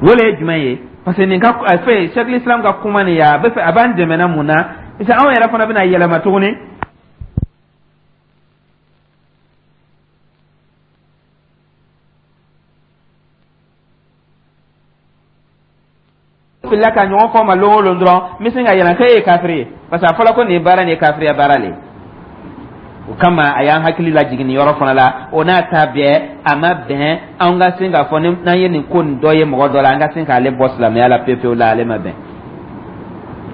Speaker 1: O le ye jumɛn ye? Parce que nin ka fɛn Cheikhul Islam ka kuma nin ye, a bɛ fɛ a b'an dɛmɛ na mun na? Parce que anw yɛrɛ fana bɛna yɛlɛma tuguni. Filila ka ɲɔgɔn fɔ ma lon o lon dɔrɔn, n bɛ sin ka yɛlɛ k'e ye kafiri ye, parce que a fɔra ko nin baara nin ye kafiriya baara le ye. O kama a y'an hakili lajigin nin yɔrɔ fana la. O n'a ta bɛɛ, a ma bɛn an ka sin k'a fɔ n'an ye nin ko nin dɔ ye mɔgɔ dɔ la, an ka sin k'ale bɔ silamɛya la pewu pewu la. Ale ma bɛn,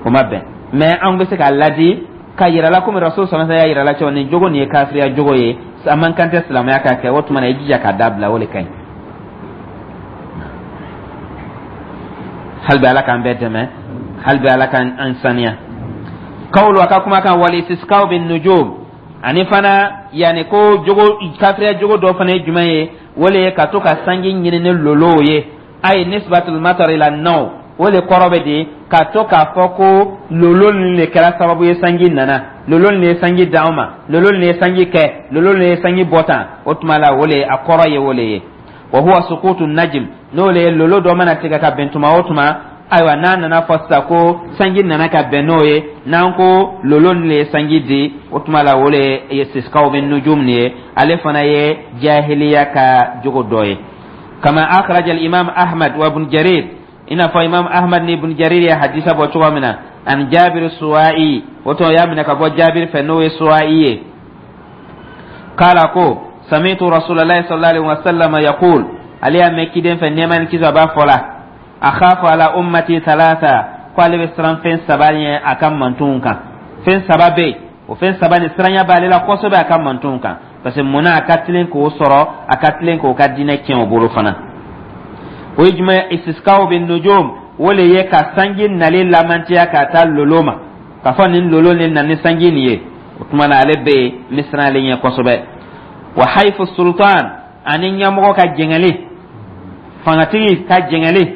Speaker 1: o ma bɛn, mais an bɛ se k'a ladi ka yira la komi Rasul sallallahu alaihi wasallam y'a yira la cogo nin jogo nin ye kafiriya jogo ye, a man kan tɛ silamɛya ka kɛ. O tuma na i jija k'a dabila, o de ka ɲi. Hali bi Ala k'an bɛɛ dɛmɛ, hali bi Ala k'an saniya. Kawulu a ka kuma kan wal istisqaw bin nujum, ani fana yanni ko jogo kafiriya jogo dɔ fana ye jumɛn ye? O le ye ka to ka sanji ɲini ni lolow ye, ayi nisbatul matar ila naw. O le kɔrɔ bɛ di ka to k'a fɔ ko lolo nin de kɛra sababu ye sanji nana, lolo nin ye sanji d'anw ma, lolo nin ye sanji kɛ, lolo nin ye sanji bɔ tan. O tuma la o le a kɔrɔ ye o le ye. Wa huwa sukutu najm, n'o le ye lolo dɔ mana tigɛ ka bɛn tuma o tuma, ayiwa n'a nana fɔ sisan ko sanji nana ka bɛn n'o ye, n'an ko lolo nin le ye sanji di, o tuma la o le ye istisqaw bin nujum nin ye. Ale fana ye jahiliya ka jogo dɔ ye. Kama akhraja al imam Ahmad wa Ibn Jarir, i n'a fɔ Imam Ahmad ni Ibn Jarir ye hadisa bɔ cogo min na, an Jabir Suwa'i, o tuma y'a minɛ ka bɔ Jabir fɛ, n'o ye Suwa'i ye, kala ko sami'tu Rasulullahi sallallahu alaihi wasallam yaqul, ale y'a mɛn kiden fɛ, nɛɛma ni kisi a b'a fɔ la, akhafu ala ummati thalatha, ko ale bɛ siran fɛn saba ɲɛ a ka mantonw kan. Fɛn saba bɛ yen, o fɛn saba nin siranya b'ale la kosɛbɛ a ka mantonw kan, parce que munna a ka tilen k'o sɔrɔ, a ka tilen k'o ka diinɛ tiɲɛ o bolo fana. O ye jumɛn? Istiskaw bin nujum, o le ye ka sanji nali lamantiya ka taa lolo ma, k'a fɔ nin lolo nin na ni sanji nin ye. O tuma na ale bɛ yen, n bɛ siran ale ɲɛ kosɛbɛ. Wa haifu sultan, ani ɲɛmɔgɔ ka jɛngɛli, fangatigi ka jɛngɛli,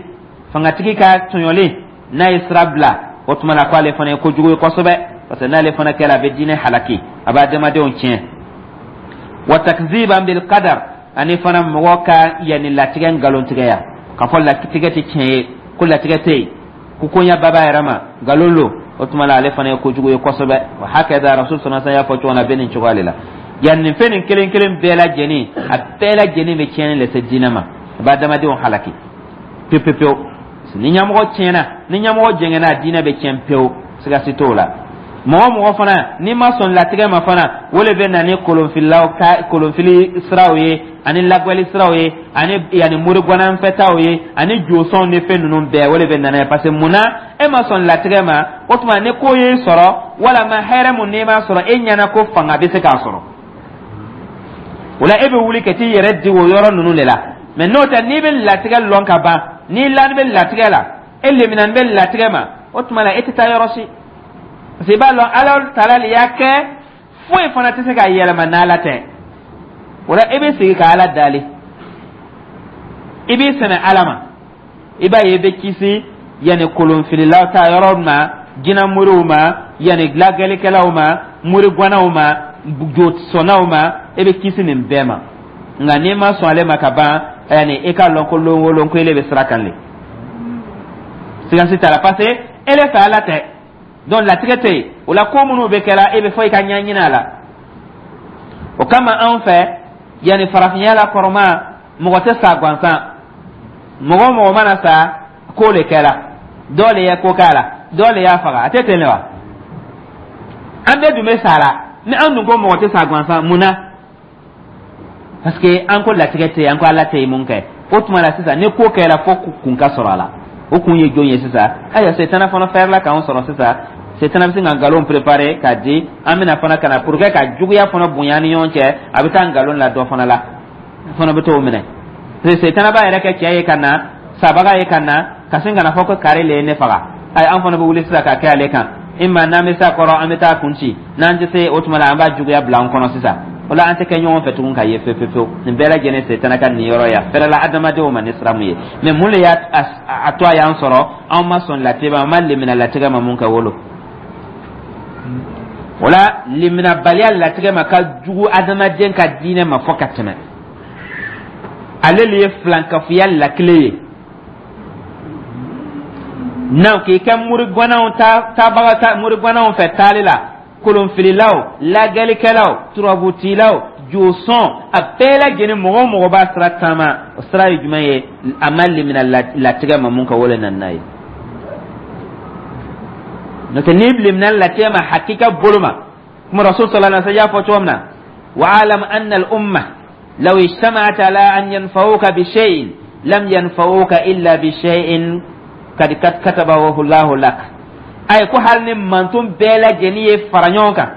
Speaker 1: fangatigi ka tɔɲɔli, n'a ye sira bila, o tuma na ko ale fana ye kojugu ye kosɛbɛ, parce que n'ale fana kɛra, a bɛ diinɛ halaki, a bɛ adamadenw tiɲɛ. Wa takziban bil qadar, ani fana mɔgɔ ka yanni latigɛ nkalontigɛya, k'a fɔ latigɛ tɛ tiɲɛ ye, ko latigɛ tɛ yen, ko koɲa bɛɛ b'a yɛrɛ ma, nkalon lo. O tuma na ale fana ye kojugu ye kosɛbɛ. Wa hakɛda Rasul sallallahu alaihi wasallam y'a fɔ cogo min na, a bɛ nin cogoya de la. Yan nin fɛn nin kelen kelen bɛɛ lajɛlen, a bɛɛ lajɛlen bɛ tiɲɛni lase diinɛ ma, a bɛ adamadenw halaki pewu pewu pewu. Ni ɲɛmɔgɔ tiɲɛna, ni ɲɛmɔgɔ jɛngɛnna, diinɛ bɛ tiɲɛ pewu, siga si t'o la. Mɔgɔ mɔgɔ fana n'i ma sɔn latigɛ ma fana, o le bɛ na ni kolonfililaw ka kolonfili siraw ye, ani lagwɛli siraw ye, ani yanni morigwananfɛtaw ye, ani josɔnw ni fɛn ninnu bɛɛ, o le bɛ na n'a ye. Parce que mun na e ma sɔn latigɛ ma? O tuma ni ko y'e sɔrɔ walama hɛrɛ mun n'i m'a sɔrɔ, e ɲɛna ko fanga bɛ se k'a sɔrɔ, o la e bɛ wuli ka t'i yɛrɛ di o yɔrɔ ninnu de la. Mais n'o tɛ, n'i bɛ latigɛ lɔn ka ban, n'i lani bɛ latigɛ la, e leminani bɛ latigɛ ma, o tuma la e tɛ taa yɔrɔ si, parce que i b'a lɔn Ala taala le y'a kɛ, foyi fana tɛ se k'a yɛlɛma n'Ala tɛ. O la e bɛ sigi ka Ala dali. I b'i sɛmɛ Ala ma, i b'a ye i bɛ kisi yanni kolonfililaw ta yɔrɔ ma, jinɛmoriw ma, yanni lagɛlikɛlaw ma, morigwanaw ma, josɔnnaw ma, i bɛ kisi nin bɛɛ ma. Nka n'i ma sɔn ale ma ka ban, yanni i k'a lɔn ko lon o lon ko ele bɛ sira kan le, siga si t'a la, parce que ele fɛ Ala tɛ. Donc latigɛ tɛ yen. O la, ko minnu bɛ kɛla, e bɛ fɔ i ka ɲɛɲini a la. O kama, anw fɛ yanni farafinya la kɔrɔma, mɔgɔ tɛ sa gansan. Mɔgɔ o mɔgɔ mana sa, ko le kɛra, dɔ le ye ko k'a la, dɔ le y'a faga. A tɛ ten de wa? An bɛɛ dun bɛ sa la. Ni an dun ko mɔgɔ tɛ sa gansan, mun na? Parce que an ko latigɛ tɛ yen, an ko Ala tɛ yen. Mun kɛ o tuma la sisan? Ni ko kɛra, fo kun ka sɔrɔ a la. O kun ye jɔn ye sisan? Ayiwa, setana fana fɛrɛla k'anw sɔrɔ sisan. Setana bɛ se ka nkalon préparer k'a di an bɛna fana ka na pour que ka juguya fana bonya ni ɲɔgɔn cɛ. A bɛ taa nkalon la dɔ fana la, fana bɛ t'o minɛ. Setana b'a yɛrɛ kɛ cɛ ye ka na, sabaga ye ka na, ka sin ka na fɔ ko kari le ye ne faga. Ayi, an fana bɛ wuli sisan ka kɛ ale kan. Ima n'an bɛ se a kɔrɔ, an bɛ taa kun ci. N'an tɛ se, o tuma la an b'a juguya bila an kɔnɔ sisan. O la, an tɛ kɛ ɲɔgɔn fɛ tugun ka ye fewu fewu. Nin bɛɛ lajɛlen, setana ka nin yɔrɔ ye a fɛrɛla adamadenw ma ni sira mun ye. Mɛ mun de y'a a to a y'an sɔrɔ? Anw ma sɔn latigɛ ma, an ma lemina latigɛ ma. Mun kɛ wolo o la, leminabaliya latigɛ ma ka jugu adamaden ka diinɛ ma fɔ ka tɛmɛ. Ale le ye filankafoya lakile ye. N'an k'i kɛ murigwanaw ta tabaga ta murigwanaw fɛ taali la, kolonfililaw, lagɛlikɛlaw, turabutilaw, josɔn, a bɛɛ lajɛlen, mɔgɔ o mɔgɔ b'a sira taama, o sira ye jumɛn ye? A ma lemina latigɛ ma. Mun ka wele nana n'a ye? N'o tɛ, n'i lemina latigɛ ma hakika bolo ma, kuma Rasul sallallahu alaihi wasallam y'a fɔ cogo min na: wa'alam anna al umma law ijtama'at ala an yanfa'uka bi shay'in lam yanfa'uka illa bi shay'in kad katabahu Allahu lak. Ayi, ko hali ni manton bɛɛ lajɛlen ye fara ɲɔgɔn kan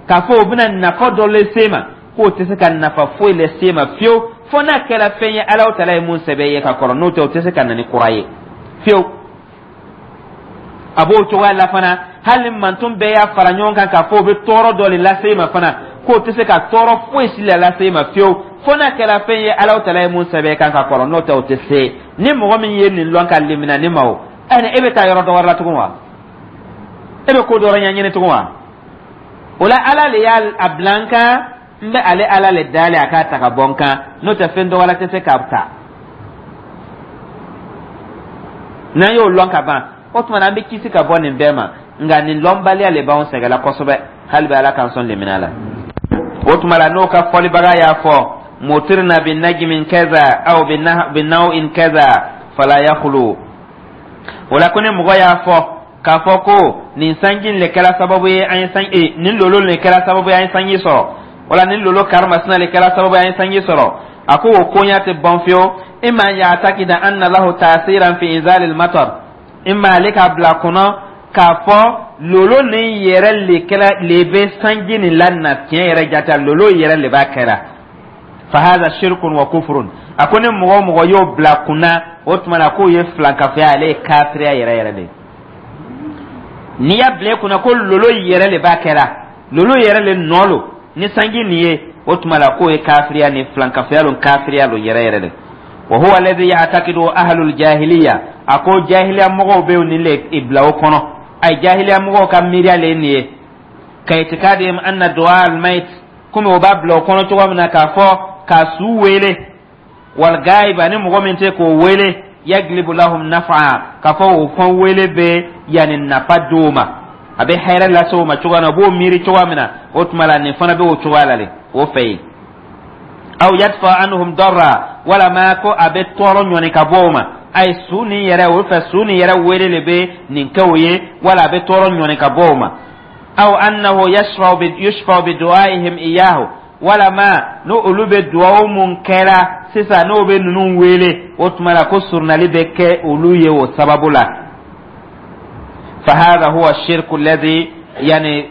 Speaker 1: k'a fɔ u bɛna nafa dɔ lase ma, k'o tɛ se ka nafa foyi lase ma fiyewu, fo n'a kɛra fɛn ye Alahu taala ye mun sɛbɛn ye ka kɔrɔ. N'o tɛ, o tɛ se ka na ni kura ye fiyewu. A b'o cogoya la fana, hali ni manton bɛɛ y'a fara ɲɔgɔn kan k'a fɔ o bɛ tɔɔrɔ dɔ de lase i ma fana, k'o tɛ se ka tɔɔrɔ foyi si la lase i ma fiyewu, fo n'a kɛra fɛn ye Alahu taala ye mun sɛbɛn kan ka kɔrɔ. N'o tɛ, o tɛ se. Ni mɔgɔ min ye nin lɔn ka limina ni ma, o ɛni e bɛ taa yɔrɔ dɔ wɛrɛ la tugun wa? E bɛ ko dɔ wɛrɛ ɲɛɲini tugun wa? O la, Ala le y'a bila n kan, n bɛ ale Ala le dalen a k'a ta ka bɔ n kan. N'o tɛ, fɛn dɔ wɛrɛ tɛ se k'a ta. N'an y'o lɔn ka ban, o tuma na an bɛ kisi ka bɔ nin bɛɛ ma. Nka nin lɔnbaliya le b'anw sɛgɛnla kosɛbɛ. Hali bɛ Ala k'an sɔn lemina la. O tuma la, n'o ka fɔlibaga y'a fɔ: mutirna bi najmin kaza aw bi naw'in kaza fala yakhlu. O la, ko ni mɔgɔ y'a fɔ k'a fɔ ko nin sanji le kɛra sababu ye an ye sanji, nin lolo le kɛra sababu ye an ye sanji sɔrɔ, wala nin lolo karimasina le kɛra sababu ye an ye sanji sɔrɔ, a ko o koɲa tɛ ban fiyewu. Imma an ya'takida anna lahu ta'siran fi inzalil matar, imma ale k'a bila kɔnɔ k'a fɔ lolo nin yɛrɛ le kɛra le bɛ sanji nin la na. Tiɲɛ yɛrɛ jata, lolo yɛrɛ le b'a kɛra. Fa hadha shirkun wa kufrun. A ko ni mɔgɔ o mɔgɔ y'o bila kunna, o tuma na k'o ye filankafoya, ale ye kafiriya yɛrɛ yɛrɛ de ye. N'i y'a bila i kunna ko lolo yɛrɛ le b'a kɛra, lolo yɛrɛ le nɔ lo ni sanji nin ye, o tuma la k'o ye kafiriya ni filankafoya lo, kafiriya lo yɛrɛ yɛrɛ de. Wa huwa alladhi ya'taqidu ahlul jahiliya. A ko jahiliya mɔgɔw bɛ nin le bila o kɔnɔ. Ay, jahiliya mɔgɔw ka miiriya le ye nin ye. Ka itikadihim anna du'a al mayt, komi o b'a bila o kɔnɔ cogo min na k'a fɔ ka su wele, wal gaiba, ni mɔgɔ min tɛ k'o wele, yaglibu lahum nafa, k'a fɔ o fɛn wele bɛ yanni nafa d'o ma, a bɛ hɛrɛ lase o ma cogoya min na, o b'o miiri cogoya min na, o tuma la nin fana bɛ o cogoya la de o fɛ yen. Aw yadfa anhum darra, walama ko a bɛ tɔɔrɔ ɲɔni ka bɔ o ma. Ayi, su nin yɛrɛ o fɛ, su nin yɛrɛ wele de bɛ nin kɛ o ye, wala a bɛ tɔɔrɔ ɲɔni ka bɔ o ma. Aw annahu yushfa bi du'aihim iyahu, walama n'o olu bɛ duwawu mun kɛra sisan, n'o bɛ ninnu wele, o tuma la ko surunali bɛ kɛ olu ye o sababu la. Fa hadha huwa shirku alladhi, yani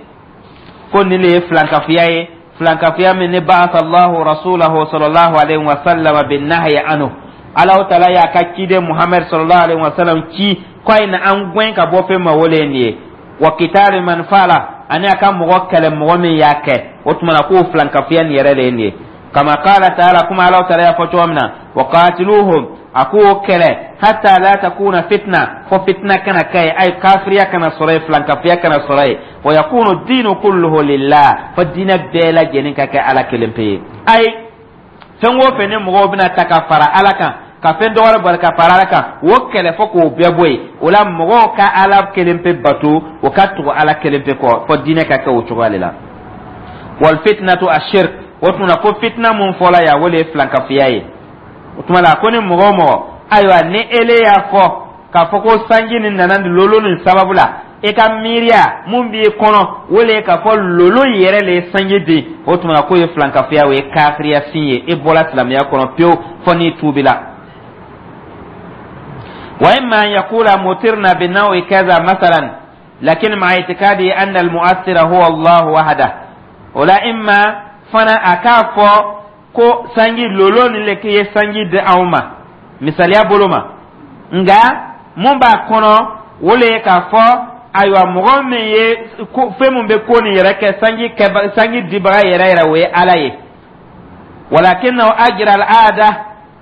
Speaker 1: ko nin de ye filankafoya ye, filankafoya min ni ba'atha Allahu rasulahu sallallahu alaihi wa sallam bin nahyi anhu. Allahu taala y'a ka ciden Muhammad sallallahu alaihi wa sallam ci ko a ye na an gɛn ka bɔ fɛn ma, o le ye nin ye. Wa qitali man fa'ala, ani a ka mɔgɔ kɛlɛ, mɔgɔ min y'a kɛ. O tuma na k'o filankafoya nin yɛrɛ de ye nin ye. Kama qala ta'ala, kuma Allahu taala y'a fɔ cogo min na: wa qatiluhum. A k'o kɛlɛ hatta la takuna fitna, fo fitna kana kɛ yen, ay kafiriya kana sɔrɔ yen, filankafiya kana sɔrɔ yen. Wa yakunu diinu kulluhu lillah, fo diinɛ bɛɛ lajɛlen ka kɛ Ala kelen pe ye. Ayi, fɛn o fɛn ni mɔgɔw bɛna ta ka fara Ala kan, ka fɛn dɔ wɛrɛ bari ka fara Ala kan, o kɛlɛ fo k'o bɛɛ bɔ yen. O la, mɔgɔw ka Ala kelen pe bato, o ka tugu Ala kelen pe kɔ, fo diinɛ ka kɛ o cogoya de la. Wal fitnatu ashirk. O tuma na, ko fitna mun fɔla yan, o de ye filankafiya ye. O tuma la, ko ni mɔgɔ o mɔgɔ, ayiwa, ni ele y'a fɔ k'a fɔ ko sanji nin nana lolo nin sababu la, e ka miiriya mun b'i kɔnɔ, o le ye k'a fɔ lolo yɛrɛ le ye sanji di, o tuma na k'o ye filankafiya, o ye kafiriya sin ye, e bɔra silamɛya kɔnɔ pewu fo n'i tuubila. Wa imma an yaqula mutirna bi nawi kaza masalan, lakin ma'a itikadi anna al-mu'athira huwa Allah wahda. O la, imma fana a k'a fɔ ko sanji lolo nin le ye sanji di anw ma, misaliya bolo ma, nka mun b'a kɔnɔ, o le ye k'a fɔ, ayiwa, mɔgɔ min ye fɛn mun bɛ ko nin yɛrɛ kɛ, sanji kɛ, sanji dibaga yɛrɛ yɛrɛ, o ye Ala ye. Walakinahu ajra al-aada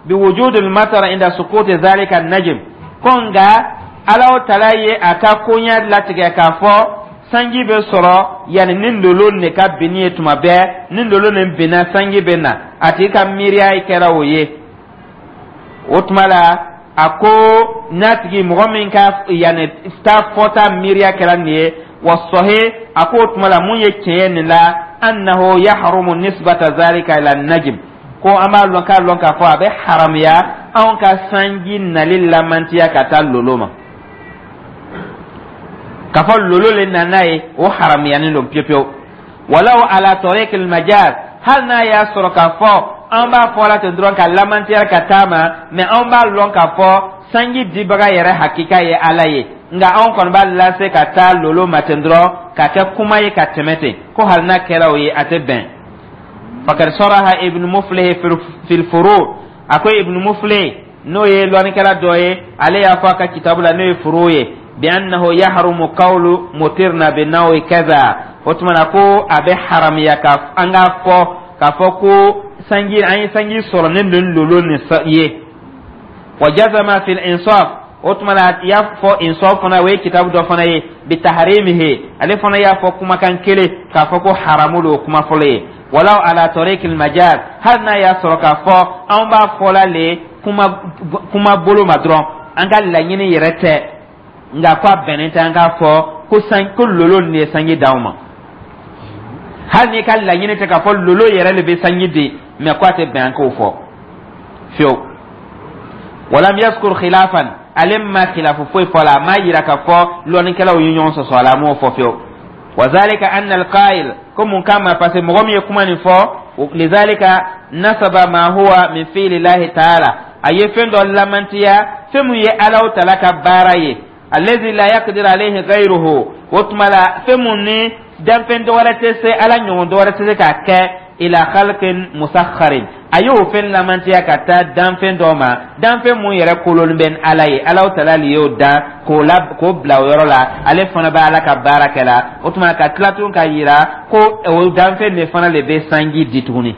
Speaker 1: biwujudi al-matar inda sukuti dhalika an-najm. Ko nka Ala tala ye a ka koɲɛ latigɛ k'a fɔ sanji bɛ sɔrɔ yanni ni lolo de ka binni ye. Tuma bɛɛ ni lolo nin binna, sanji bɛ na. A tigi ka miiriya kɛra o ye. O tuma la, a ko n'a tigi mɔgɔ min ka yanni taa fɔta miiriya kɛra nin ye, wa sɔhe, a ko o tuma la, mun ye tiɲɛ ye nin la, annahu yahrumu nisbata zalika ila najm, ko an b'a lɔn k'a lɔn k'a fɔ a bɛ haramuya anw ka sanji nali lamantiya ka taa lolo ma, k'a fɔ lolo le nana ye, o haramuyanin don pewu pewu. Walaw ala tariqil majaz, hali n'a y'a sɔrɔ k'a fɔ an b'a fɔ la ten dɔrɔn ka lamantiya ka taa ma, mɛ anw b'a lɔn k'a fɔ sanji dibaga yɛrɛ hakika ye Ala ye, nka anw kɔni b'a lase ka taa lolo ma ten dɔrɔn ka kɛ kuma ye ka tɛmɛ ten, ko hali n'a kɛra o ye, a tɛ bɛn. Fakad saraha Ibn Muflih fil furu. A ko Ibn Muflih, n'o ye lɔnnikɛla dɔ ye, ale y'a fɔ a ka kitabu la, n'o ye furu ye, bi annahu yahrumu qawlu mutirna bi nawi kaza. O tuma na, ko a bɛ haramuya ka an k'a fɔ k'a fɔ ko sanji, an ye sanji sɔrɔ ni nin lolo nin ye. Wa jazama fil insaf. O tuma na, a y'a fɔ insaf fana, o ye kitabu dɔ fana ye, bi taharimihi, ale fana y'a fɔ kumakan kelen k'a fɔ ko haramu don, kuma fɔlɔ ye. Walaw ala tariqil majaz, hali n'a y'a sɔrɔ k'a fɔ anw b'a fɔla le kuma kuma bolo ma dɔrɔn, an ka laɲini yɛrɛ tɛ, nka ko a bɛnnen tɛ an k'a fɔ ko san ko lolo nin ye sanji d'anw ma. Hali n'i ka laɲini tɛ k'a fɔ lolo yɛrɛ de bɛ sanji di, mɛ ko a tɛ bɛn an k'o fɔ fiyewu. Walam yaskur khilafan, ale ma khilafu foyi fɔ la, a m'a yira k'a fɔ lɔnnikɛlaw ye ɲɔgɔn sɔsɔ a la, a m'o fɔ fiyewu. Wa zalika anna alqa'il, ko mun kama? Parce que mɔgɔ min ye kuma nin fɔ, lizalika nasaba ma huwa min fi'li llahi ta'ala, a ye fɛn dɔ lamantiya, fɛn mun ye Alaw tala ka baara ye, allazi la yaqdir alayhi ghayruhu. O tuma la, fɛn mun ni danfɛn dɔ wɛrɛ tɛ se, Ala ɲɔgɔn dɔ wɛrɛ tɛ se k'a kɛ, ila khalqin musakharin, a y'o fɛn lamantiya ka taa danfɛn dɔ ma, danfɛn mun yɛrɛ kolonin bɛ Ala ye. Alaw tala le y'o dan k'o la k'o bila o yɔrɔ la, ale fana bɛ Ala ka baara kɛ la. O tuma, ka tila tun ka yira ko o danfɛn de fana de bɛ sanji di tuguni,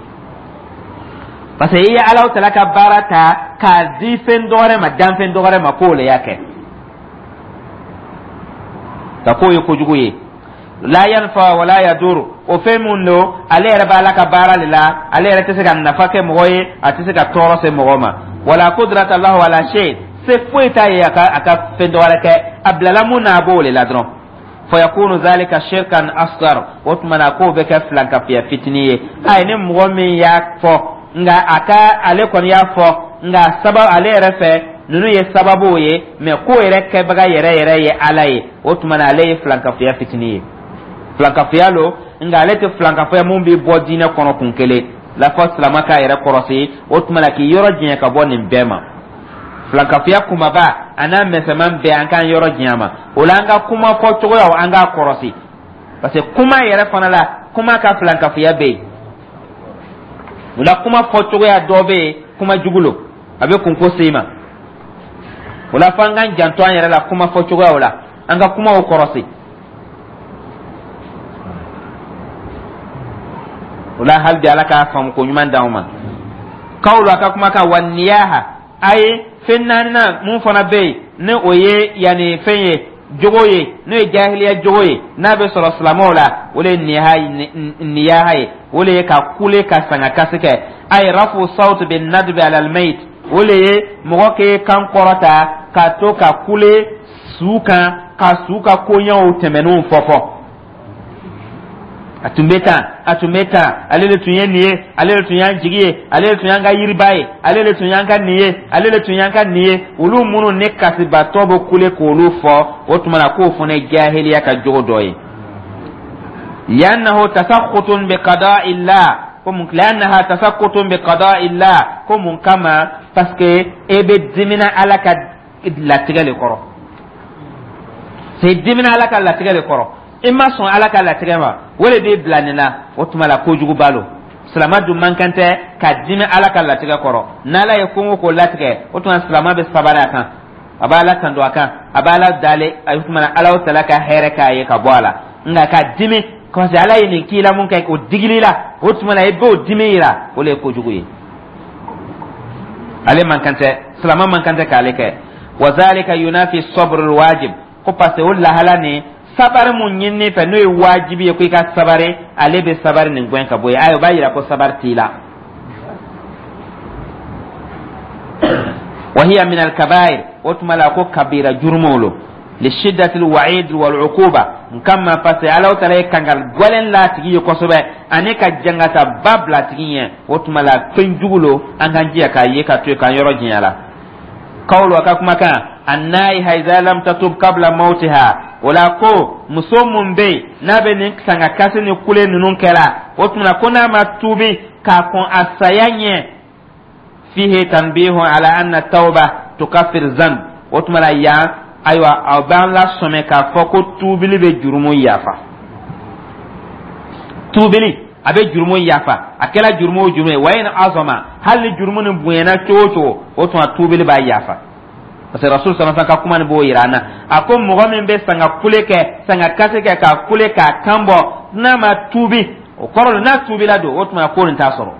Speaker 1: parce que i ye Alaw tala ka baara ta k'a di fɛn dɔ wɛrɛ ma, danfɛn dɔ wɛrɛ ma, k'o le y'a kɛ, ka k'o ye kojugu ye. La yanfa wala yadur, o fɛn mun don, ale yɛrɛ b'a la ka baara de la, ale yɛrɛ tɛ se ka nafa kɛ mɔgɔ ye, a tɛ se ka tɔɔrɔ se mɔgɔ ma. Wala qudrata lahu ala shay, se foyi t'a ye a ka fɛn dɔ wɛrɛ kɛ. A bilala mun na, a b'o de la dɔrɔn. Fayakunu zalika shirkan asghar. O tuma na, k'o bɛ kɛ filankafiya fitinin ye. Ayi, ni mɔgɔ min y'a fɔ, nka a ka ale kɔni y'a fɔ, nka sababu ale yɛrɛ fɛ, ninnu ye sababuw ye, mɛ ko yɛrɛ kɛbaga yɛrɛ yɛrɛ ye Ala ye, o tuma na, ale ye filankafiya fitinin ye. Filankafiya lo, nka ale tɛ filankafiya mun bɛ bɔ diinɛ kɔnɔ kun kelen la. Fɔ silama k'a yɛrɛ kɔrɔsi, o tuma na, k'i yɔrɔ janya ka bɔ nin bɛɛ ma. Filankafiya kumaba a n'a misɛnman bɛɛ, an k'an yɔrɔ janya ma. O la, an ka kuma fɔ cogoyaw, an k'a kɔrɔsi, parce que kuma yɛrɛ fana la, kuma ka filankafiya bɛ yen. O la, kuma fɔ cogoya dɔ bɛ yen, kuma jugu lo, a bɛ kunko se i ma. O la, f'an k'an janto an yɛrɛ la kuma fɔ cogoyaw la, an ka kumaw kɔrɔsi. O la, hali bi, Ala k'a faamu ko ɲuman d'anw ma. Kawlu, a ka kumakan, wa niyaha. Ayi, fɛn naaninan mun fana bɛ yen, ni o ye yanni fɛn ye, jogo ye, n'o ye jahiliya jogo ye, n'a bɛ sɔrɔ silamɛw la, o de ye niyaha ye, o de ye ka kule, ka sanga kasi kɛ. Ayi, rafu sawt bin nadbi ala almayit, o de ye mɔgɔ k'e kan kɔrɔta ka to ka kule su kan, ka su ka koɲɛw tɛmɛnenw fɔ fɔ: a tun bɛ tan, a tun bɛ tan, ale de tun ye nin ye, ale de tun y'an jigi ye, ale de tun y'an ka yiriba ye, ale de tun y'an ka nin ye, ale de tun y'an ka nin ye. Olu minnu ni kasibatɔ bɛ kule k'olu fɔ, o tuma na k'o fana ye jahiliya ka jogo dɔ ye. Li'annahu tasakhutun bi qada'illah, ko mun? Li'annaha tasakhutun bi qada'illah, ko mun kama? Parce que e bɛ dimina Ala ka latigɛ le kɔrɔ. C'est dimina Ala ka latigɛ le kɔrɔ, i ma sɔn Ala ka latigɛ ma, o de b'i bila nin na. O tuma la, kojuguba lo. Silama dun man kan tɛ ka dimi Ala ka latigɛ kɔrɔ. N'Ala ye ko o ko latigɛ, o tuma silama bɛ sabari a kan, a b'a Ala tando a kan, a b'a Ala dale. A tuma na, Ala tala ka hɛrɛ k'a ye ka bɔ a la. Nka ka dimi parce que Ala ye nin k'i la, mun kɛ o digili la, o tuma na i b'o dimi yira, o de ye kojugu ye. Ale man kan tɛ, silama man kan tɛ k'ale kɛ. Wa zalika yunafi sabr wajib, ko parce que o lahala nin, sabari mun ɲinini fɛ, n'o ye wajibi ye ko i ka sabari, ale bɛ sabari nin gɛn ka bɔ yen. Ayi, o b'a yira ko sabari t'i la. Wa hiya min al-kabair, o tuma la ko kabira jurumu lo, li shiddati al-wa'id wal uquba nkama, parce que Ala taala ye kankari gwɛlɛn la tigi ye kosɛbɛ, ani ka jangata ba bila tigi ɲɛ. O tuma la, fɛn jugu lo, an k'an jija k'a ye ka to yen, k'an yɔrɔ janya la. Kawlu, a ka kumakan, annaiha iza lam tatub qabla mautiha, o la ko muso mun bɛ yen, n'a bɛ nin sanga kasi ni kule ninnu kɛra, o tuma ko n'a ma tuubi k'a kɔn a saya ɲɛ, fihi tanbihu ala anna tawba tukaffir zanb. O tuma la yan, ayiwa, aw b'an lasɔmɛ k'a fɔ ko tuubili bɛ jurumu yafa. Tuubili a bɛ jurumu yafa, a kɛra jurumu o jurumu ye, wa in azama, hali ni jurumu nin bonyana cogo o cogo, o tuma tuubili b'a yafa. Parce que Rasul sallallahu alaihi ka kuma nin b'o yira an na. A ko mɔgɔ min bɛ sanga kule kɛ, sanga kasi kɛ, k'a kule k'a kan bɔ, n'a ma tuubi, o kɔrɔ n'a tuubila don, o tuma ko nin t'a sɔrɔ.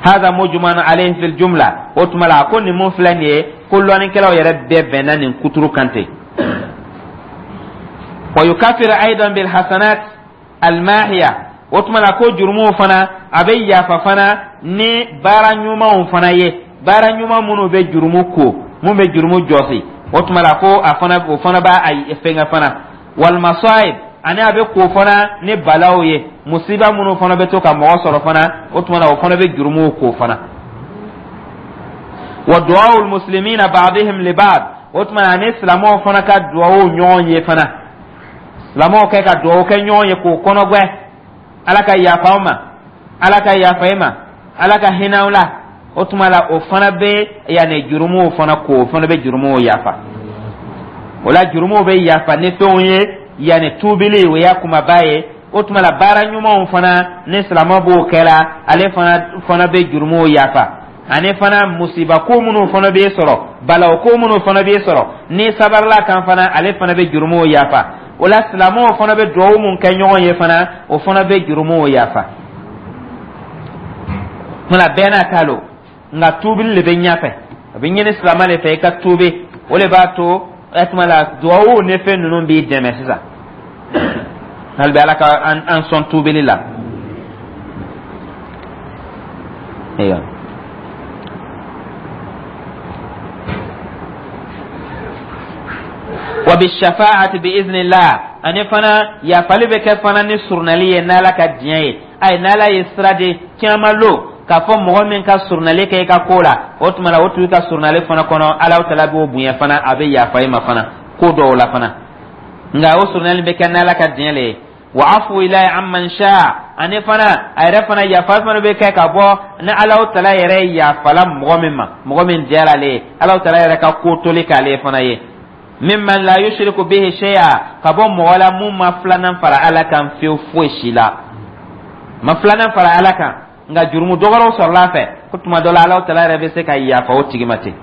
Speaker 1: Hada mujman alayhi fil jumla. O tuma la, a ko nin mun filɛ nin ye, ko lɔnnikɛlaw yɛrɛ bɛɛ bɛnna nin kuturu kan ten. Wa yukafiru aidan bil hasanat almahiya. O tuma la, ko jurumuw fana a bɛ yafa fana ni baara ɲumanw fana ye, baara ɲuman minnu bɛ jurumu ko, mun bɛ jurumu jɔsi. O tuma la, ko a fana, o fana b'a fɛnkɛ fana. Wal masaib, ani a bɛ ko fana ni balaw ye, musiba minnu fana bɛ to ka mɔgɔ sɔrɔ fana, o tuma na o fana bɛ jurumuw ko fana. Wa du'aul muslimina ba'dihim li ba'd. O tuma na, ani silamɛw fana ka duwawu ɲɔgɔn ye fana, silamɛw kɛ ka duwawu kɛ ɲɔgɔn ye k'o kɔnɔgbɛ: Ala ka yafa aw ma, Ala ka yafa i ma, Ala ka hinɛ aw la. O tuma la, o fana bɛ yanni jurumuw fana ko, o fana bɛ jurumuw yafa. O la, jurumuw bɛ yafa ni fɛnw ye, yanni tuubili, o y'a kumaba ye. O tuma la, baara ɲumanw fana, ni silamɛ b'o kɛla, ale fana bɛ jurumuw yafa. Ani fana, musiba ko minnu fana b'e sɔrɔ, balaw ko minnu fana b'e sɔrɔ, ni sabarila kan fana, ale fana bɛ jurumuw yafa. O la, silamɛw fana bɛ duwawu mun kɛ ɲɔgɔn ye fana, o fana bɛ jurumuw yafa. Tuma bɛɛ n'a ta lo, nka tuubili le bɛ ɲɛfɛ, a bɛ ɲini silamɛ de fɛ i ka tuubi, o de b'a to o tuma la duwawu ni fɛn ninnu b'i dɛmɛ sisan. Hali bi, Ala ka an sɔn tuubili la. Ayiwa, wa bi shafaati bi iznillah, ani fana yafali bɛ kɛ fana ni surunali ye n'Ala ka diɲɛ ye. Ayi, n'Ala ye sira di kiyama lon k'a fɔ mɔgɔ min ka surunali kɛ i ka ko la, o tuma la o tigi ka surunali fana kɔnɔ, Ala taala b'o bonya fana, a bɛ yafa i ma fana ko dɔw la fana. Nka o surunali bɛ kɛ n'Ala ka diɲɛ le ye. Wa afu ilahi amman sha, ani fana a yɛrɛ fana yafa fana bɛ kɛ ka bɔ ni Ala taala yɛrɛ yafala mɔgɔ min ma, mɔgɔ min diyara ale ye, Ala taala yɛrɛ ka ko toli k'ale fana ye. Mimman la yushriku bihi shay'a, ka bɔ mɔgɔ la mun ma filanan fara Ala kan fewu, foyi si la ma filanan fara Ala kan, nka jurumu dɔgɔrɔw sɔrɔla a fɛ, ko tuma dɔ la Ala taala yɛrɛ bɛ se ka yafa o tigi ma ten.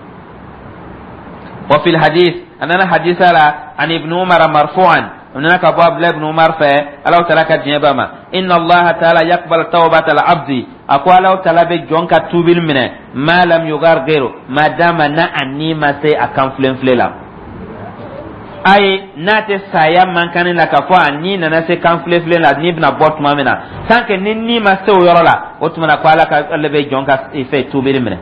Speaker 1: Wa fil hadith, a nana hadisa la, an Ibn Umar marfu'an, a nana ka bɔ Abdulahi ibn Umar fɛ, Ala taala ka diɲɛ b'a ma: inna Allah taala yaqbal tawbata al abdi. A ko Alahu Taala bɛ jɔn ka tuubili minɛ ma lam yugargir, ma dama na a ni ma se a kan filenfile la. Ayi, n'a tɛ saya mankanni la k'a fɔ a ni nana se kan filenfile la, ni bɛna bɔ tuma min na, tant que ni ni ma se o yɔrɔ la, o tuma na ko Ala ka ale bɛ jɔn ka fɛ tuubili minɛ,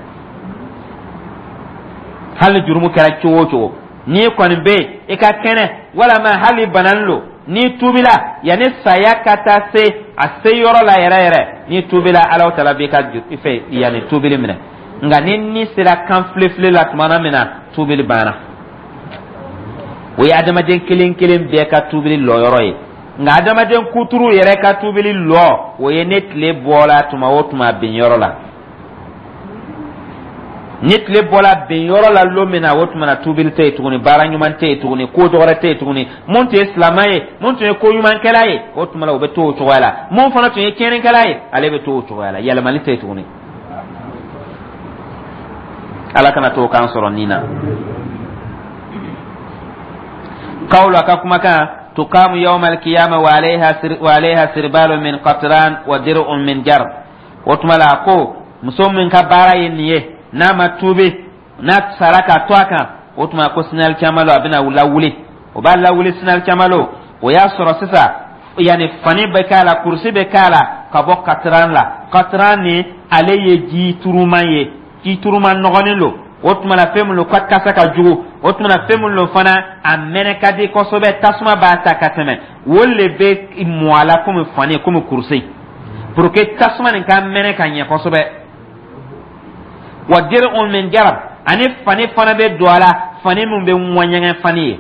Speaker 1: hali jurumu kɛra cogo o cogo. N'i kɔni bɛ yen, i ka kɛnɛ, walama hali bananin lo, n'i tuubila yanni saya ka taa se a se yɔrɔ la yɛrɛ yɛrɛ, n'i tuubila, Alahu Taala b'i ka fɛ yanni tuubili minɛ. Nka ni ni sera kan filefile la tuma min na, tuubili banna. O ye adamaden kelen kelen bɛɛ ka tuubili lɔyɔrɔ ye. Nka adamaden kuturu yɛrɛ ka tuubili lɔ, o ye ne tile bɔla tuma o tuma bin yɔrɔ la. Ni tile bɔla bin yɔrɔ la lon min na, o tuma na tuubili tɛ yen tuguni, baara ɲuman tɛ yen tuguni, ko dɔwɛrɛ tɛ yen tuguni. Mun tun ye silamɛ ye, mun tun ye ko ɲumankɛla ye, o tuma na o bɛ to o cogoya la. Mun fana tun ye tiɲɛnikɛla ye, ale bɛ to o cogoya la, yɛlɛmali tɛ yen tuguni. Ala kana to k'an sɔrɔ nin na. Kawulu, a ka kumakan: tukamu yawma alkiyama wa alayha sirbalu min qatran wa dir'un min jar. O tuma la, a ko muso min ka baara ye nin ye, n'a ma tuubi, n'a sara k'a to a kan, o tuma ko sini alikiyama lon, a bɛna lawuli, o b'a lawuli sini alikiyama lon. O y'a sɔrɔ sisan yanni fani bɛ k'a la, kurusi bɛ k'a la ka bɔ katiran la. Katiran ni ale ye ji turuman ye, ji turuman nɔgɔnin lo. O tuma na fɛn min lo ka kasa ka jugu, o tuma na fɛn min lo fana a mɛnɛ ka di kosɛbɛ, tasuma b'a ta ka tɛmɛ, o le bɛ mɔ a la komi fani, komi kurusi, pour que tasuma nin ka mɛnɛ ka ɲɛ kosɛbɛ. Wa dir'un min jarab, ani fani fana bɛ don a la, fani min bɛ ŋɔɲɛŋɛ fani ye,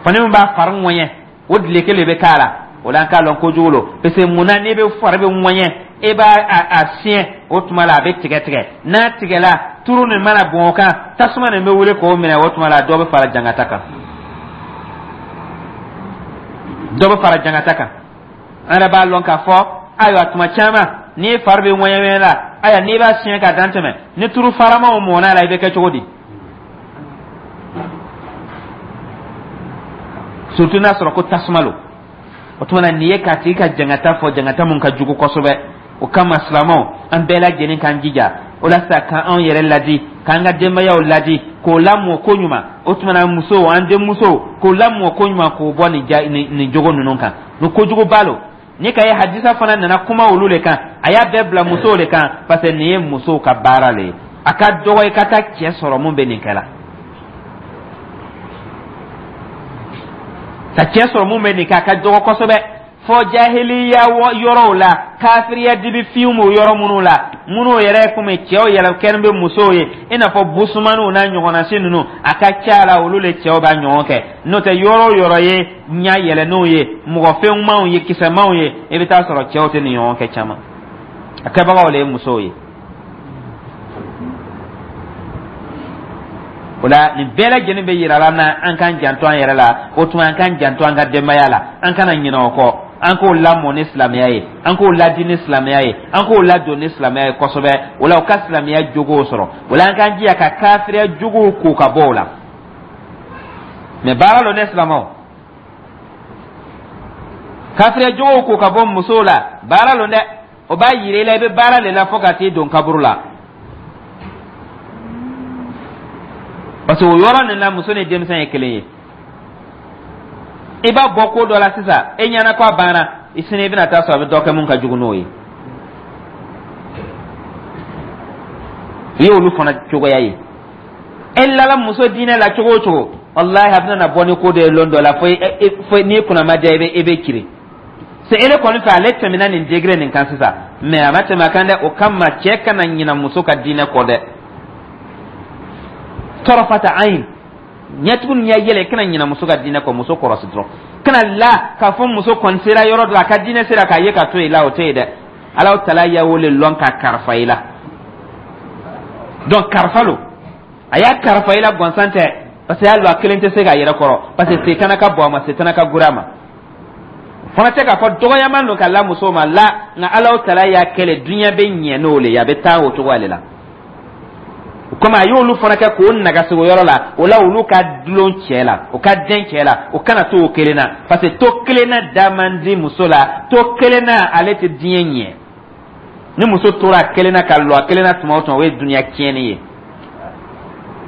Speaker 1: fani min b'a fari ŋɔɲɛ, o dileke le bɛ k'a la. O la an k'a lɔn kojugu lo, parce que mun na n'i bɛ fari bɛ ŋɔɲɛ, e b'a a siɲɛ, o tuma la a bɛ tigɛ tigɛ. N'a tigɛla, turu nin mana bɔn o kan, tasuma nin bɛ wuli k'o minɛ. O tuma la dɔ bɛ fara jangata kan, dɔ bɛ fara jangata kan. An yɛrɛ b'a lɔn k'a fɔ, ayiwa, tuma caman n'i fari bɛ ŋɔɲɛ la, ayiwa, n'i b'a siɲɛ ka dan tɛmɛ, ni turu faramaw mɔnna la, i bɛ kɛ cogo di? Surtout n'a sɔrɔ ko tasuma lo. O tuma na nin ye k'a tigi ka jangata fɔ, jangata mun ka jugu kosɛbɛ. O kama silamɛw, an bɛɛ lajɛlen k'an jija o la sisan k'an yɛrɛ ladi, k'an ka denbayaw ladi, k'o lamɔ ko ɲuman. O tuma na musow, an denmusow, k'o lamɔ ko ɲuman, k'o bɔ nin ja nin jogo ninnu kan, nin kojuguba lo. Ni ka ye hadisa fana nana kuma olu le kan, a y'a bɛɛ bila musow le kan, parce que nin ye musow ka baara le ye. A ka dɔgɔ i ka taa cɛ sɔrɔ mun bɛ nin kɛ la, ka cɛ sɔrɔ mun bɛ nin kɛ, a ka dɔgɔ kosɛbɛ. Fɔ jahiliya yɔrɔw la, kafiriya dibi finw b'o yɔrɔ minnu la, minnu yɛrɛ komi cɛw yɛrɛ kɛlen bɛ musow ye, i n'a fɔ busumaniw n'a ɲɔgɔnnasi ninnu, a ka ca la olu le cɛw b'a ɲɔgɔn kɛ. N'o tɛ, yɔrɔ o yɔrɔ ye ɲɛ yɛlɛnnenw ye, mɔgɔ fɛnmanw ye, kisɛmanw ye, i bɛ taa sɔrɔ cɛw tɛ nin ɲɔgɔn kɛ caman, a kɛbagaw le ye musow ye. O la nin bɛɛ lajɛlen bɛ yira la na an k'an janto an yɛrɛ la. O tuma an k'an janto an ka denbaya la, an kana ɲinɛ o kɔ, an k'o lamɔ ni silamɛya ye, an k'o ladi ni silamɛya ye, an k'o ladon ni silamɛya ye kosɛbɛ. O la u ka silamɛya jogow sɔrɔ. O la an k'an jija ka kafiriya jogow ko ka bɔ o la. Mɛ baara lo ne silamɛw, kafiriya jogow ko ka bɔ musow la, baara lo dɛ. O b'a yira i la i bɛ baara le la fo ka t'i don kaburu la, parce que o yɔrɔ nin la muso ni denmisɛn ye kelen ye. I b'a bɔ ko dɔ la sisan, e ɲɛna ko a banna, i sini i bɛna taa sɔrɔ a bɛ dɔ kɛ mun ka jugu n'o ye. I ye olu fana cogoya ye. E lala muso diinɛ la cogo o cogo, walahi a bɛna na bɔ ni ko dɔ ye lon dɔ la, fo n'i kunna ma diya, i bɛ kirin se ele kɔni fɛ. Ale tɛmɛna nin degré nin kan sisan, mais a ma tɛmɛ a kan dɛ. O kama cɛ kana ɲina muso ka diinɛ kɔ dɛ, tɔrɔfata ayin ɲɛtugu ni ɲɛ yɛlɛ, kana ɲina muso ka diinɛ kɔ. Muso kɔrɔsi dɔrɔn, kana la k'a fɔ muso kɔni sera yɔrɔ dɔ la, a ka diinɛ sera k'a ye ka to yen la, o tɛ yen dɛ. Alahu tala y'a o le lɔn ka karifa i la. Donc karifa lo, a y'a karifa i la gansan tɛ, parce que y'a lɔn a kelen tɛ se k'a yɛrɛ kɔrɔ, parce que setana ka bon a ma, setana ka gori a ma. Fana tɛ k'a fɔ dɔgɔyama don ka la muso ma la, nka Alahu tala y'a kɛlɛ, duɲɛ bɛ ɲɛ n'o le ye, a bɛ taa o cogoya le la. Komi a y'olu fana kɛ k'o nagasi o yɔrɔ la, o la olu ka dulon cɛ la, o ka dɛn cɛ la, o kana to o kelen na, parce que to kelen na da man di muso la, to kelen na ale tɛ diɲɛ ɲɛ. Ni muso tora a kelen na ka lɔ a kelen na tuma o tuma, o ye duniya tiɲɛni ye.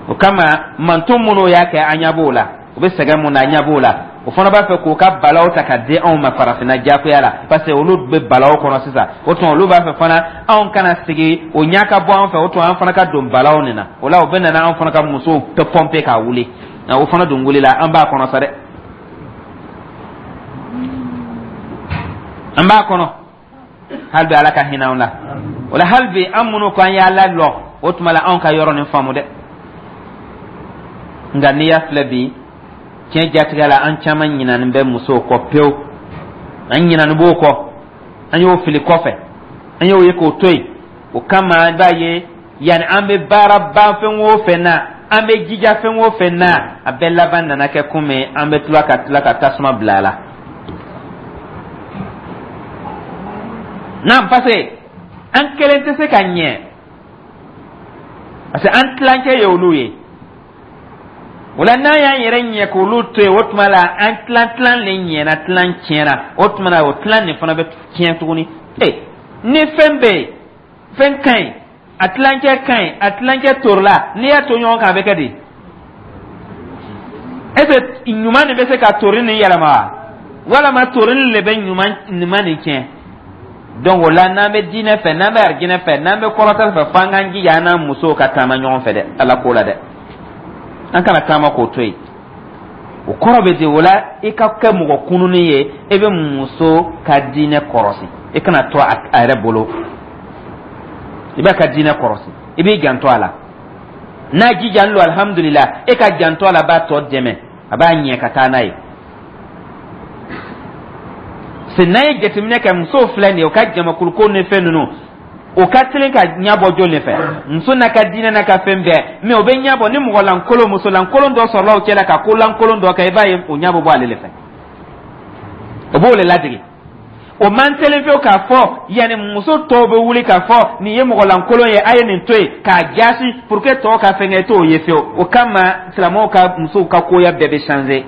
Speaker 1: O kama manton minnu y'a kɛ, an ɲɛ b'o la, u bɛ sɛgɛn mun na, an ɲɛ b'o la. O fana b'a fɛ k'u ka balaw ta ka di anw ma farafinna jagoya la, parce que olu bɛ balaw kɔnɔ sisan. O tuma olu b'a fɛ fana anw kana sigi, o ɲɛ ka bɔ an fɛ. O tuma an fana ka don balaw nin na. O la o bɛ na anw fana ka musow pɔnpe k'a wuli. O fana dun wulila, an b'a kɔnɔ sa dɛ, an b'a kɔnɔ hali bi. Ala ka hinɛ anw la. O la hali bi an minnu ko an y'a lalɔ, o tuma la anw ka yɔrɔ nin faamu dɛ. Nka n'i y'a filɛ bi, tiɲɛ jatigɛ la, an caman ɲinanin bɛ musow kɔ pewu, an ɲinanin b'o kɔ, an y'o fili kɔfɛ, an y'o ye k'o to yen. O kama i b'a ye, yanni an bɛ baara ban fɛn o fɛn na, an bɛ jija fɛn o fɛn na, a bɛɛ laban nana kɛ komi an bɛ tila ka tasuma bila a la. N'an, parce que an kelen tɛ se ka ɲɛ, parce que an tilancɛ ye olu ye. O la n'an y'an yɛrɛ ɲɛ k'olu to yen, o tuma la an tilan tilan le ɲɛna, tilan tiɲɛna. O tuma la o tilan nin fana bɛ tiɲɛ tuguni. Ee, ni fɛn bɛ yen, fɛn ka ɲi, a tilancɛ ka ɲi, a tilancɛ torila, n'i y'a to ɲɔgɔn kan, a bɛ kɛ di? Est ce que ɲuman nin bɛ se ka tori nin yɛlɛma wa, walama tori nin le bɛ ɲuman nin tiɲɛ? Donc o la n'an bɛ diinɛ fɛ, n'an bɛ arijinɛ fɛ, n'an bɛ kɔrɔtali fɛ, f'an k'an jija an n'an musow ka taama ɲɔgɔn fɛ dɛ. Ala ko la dɛ, an kana taama k'o to yen. O kɔrɔ bɛ di? O la i ka kɛ mɔgɔ kununin ye, e bɛ muso ka diinɛ kɔrɔsi, i kana to a yɛrɛ bolo. I b'a ka diinɛ kɔrɔsi, i b'i janto a la. N'a jijalen don, alihamudulila, e ka janto a la b'a tɔ dɛmɛ, a b'a ɲɛ ka taa n'a ye. Se n'an ye jateminɛ kɛ, musow filɛ nin ye, o ka jamakuluko ni fɛn ninnu, o ka teli ka ɲɛbɔ jɔn de fɛ? Muso n'a ka diinɛ n'a ka fɛn bɛɛ, mɛ o bɛ ɲɛbɔ ni mɔgɔ lankolon, muso lankolon dɔ sɔrɔla o cɛ la ka ko lankolon dɔ kɛ, i b'a ye o ɲɛ bɛ bɔ ale de fɛ, o b'o de ladege. O man teli fewu k'a fɔ yanni muso tɔw bɛ wuli k'a fɔ nin ye mɔgɔ lankolon ye, a ye nin to yen k'a jaasi pour que tɔw ka fɛn kɛ, t'o ye fewu. O kama silamɛw ka musow ka koya bɛɛ bɛ changer.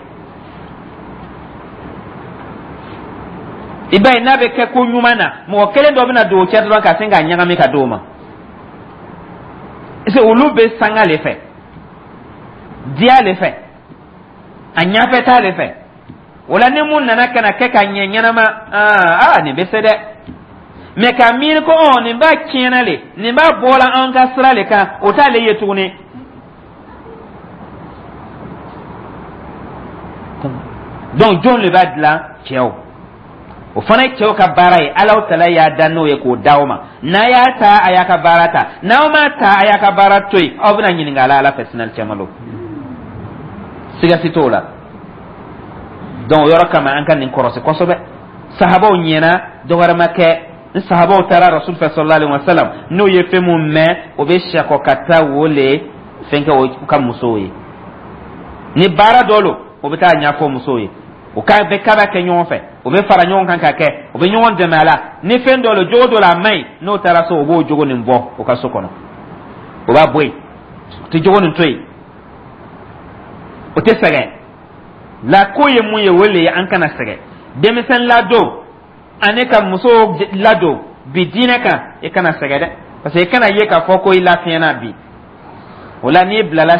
Speaker 1: I b'a ye n'a bɛ kɛ ko ɲuman na, mɔgɔ kelen dɔ bɛna don o cɛ dɔrɔn ka sin k'a ɲagami ka d'o ma. Parce que olu bɛ sanga le fɛ, diya le fɛ, a ɲɛfɛ ta le fɛ. O la ni mun nana ka na kɛ ka ɲɛ ɲɛnama, aa, nin bɛ se dɛ. Mɛ ka miiri ko ɔ nin b'a tiɲɛna le, nin b'a bɔla an ka sira le kan, o t'ale ye tuguni. Donc jɔn le b'a dilan? Cɛw. O fana ye cɛw ka baara ye. Alahu tala y'a da n'o ye k'o d'aw ma. N'a y'a ta, a y'a ka baara ta. N'aw m'a ta, a y'a ka baara to yen. Aw bɛna ɲininka ala fɛ sinali cɛman don, siga si t'o la. Donc o yɔrɔ kama an ka nin kɔrɔsi kosɛbɛ. Sahabaw ɲɛna, dɔ wɛrɛ ma kɛ ni sahabaw taara rasul fɛ sallallahu alaihi wasallam, n'o ye fɛn mun mɛn, o bɛ sɛkɔ ka taa wo le fɛn kɛ o ka musow ye. Ni baara dɔ lo, o bɛ taa ɲɛfɔ musow ye, o ka bɛ kaba kɛ ɲɔgɔn fɛ, o bɛ fara ɲɔgɔn kan ka kɛ, o bɛ ɲɔgɔn dɛmɛ a la. Ni fɛn dɔ lo, jogo dɔ la a man ɲi, n'o taara so, o b'o jogo nin bɔ o ka so kɔnɔ, o b'a bɔ yen, o tɛ jogo nin to yen, o tɛ sɛgɛn la. Ko ye mun ye? O le ye an kana sɛgɛn. Denmisɛn ladon ani ka muso ladon bi diinɛ kan, i kana sɛgɛn dɛ, parce que i kana ye k'a fɔ ko i lafiɲɛna bi. O la n'i bilala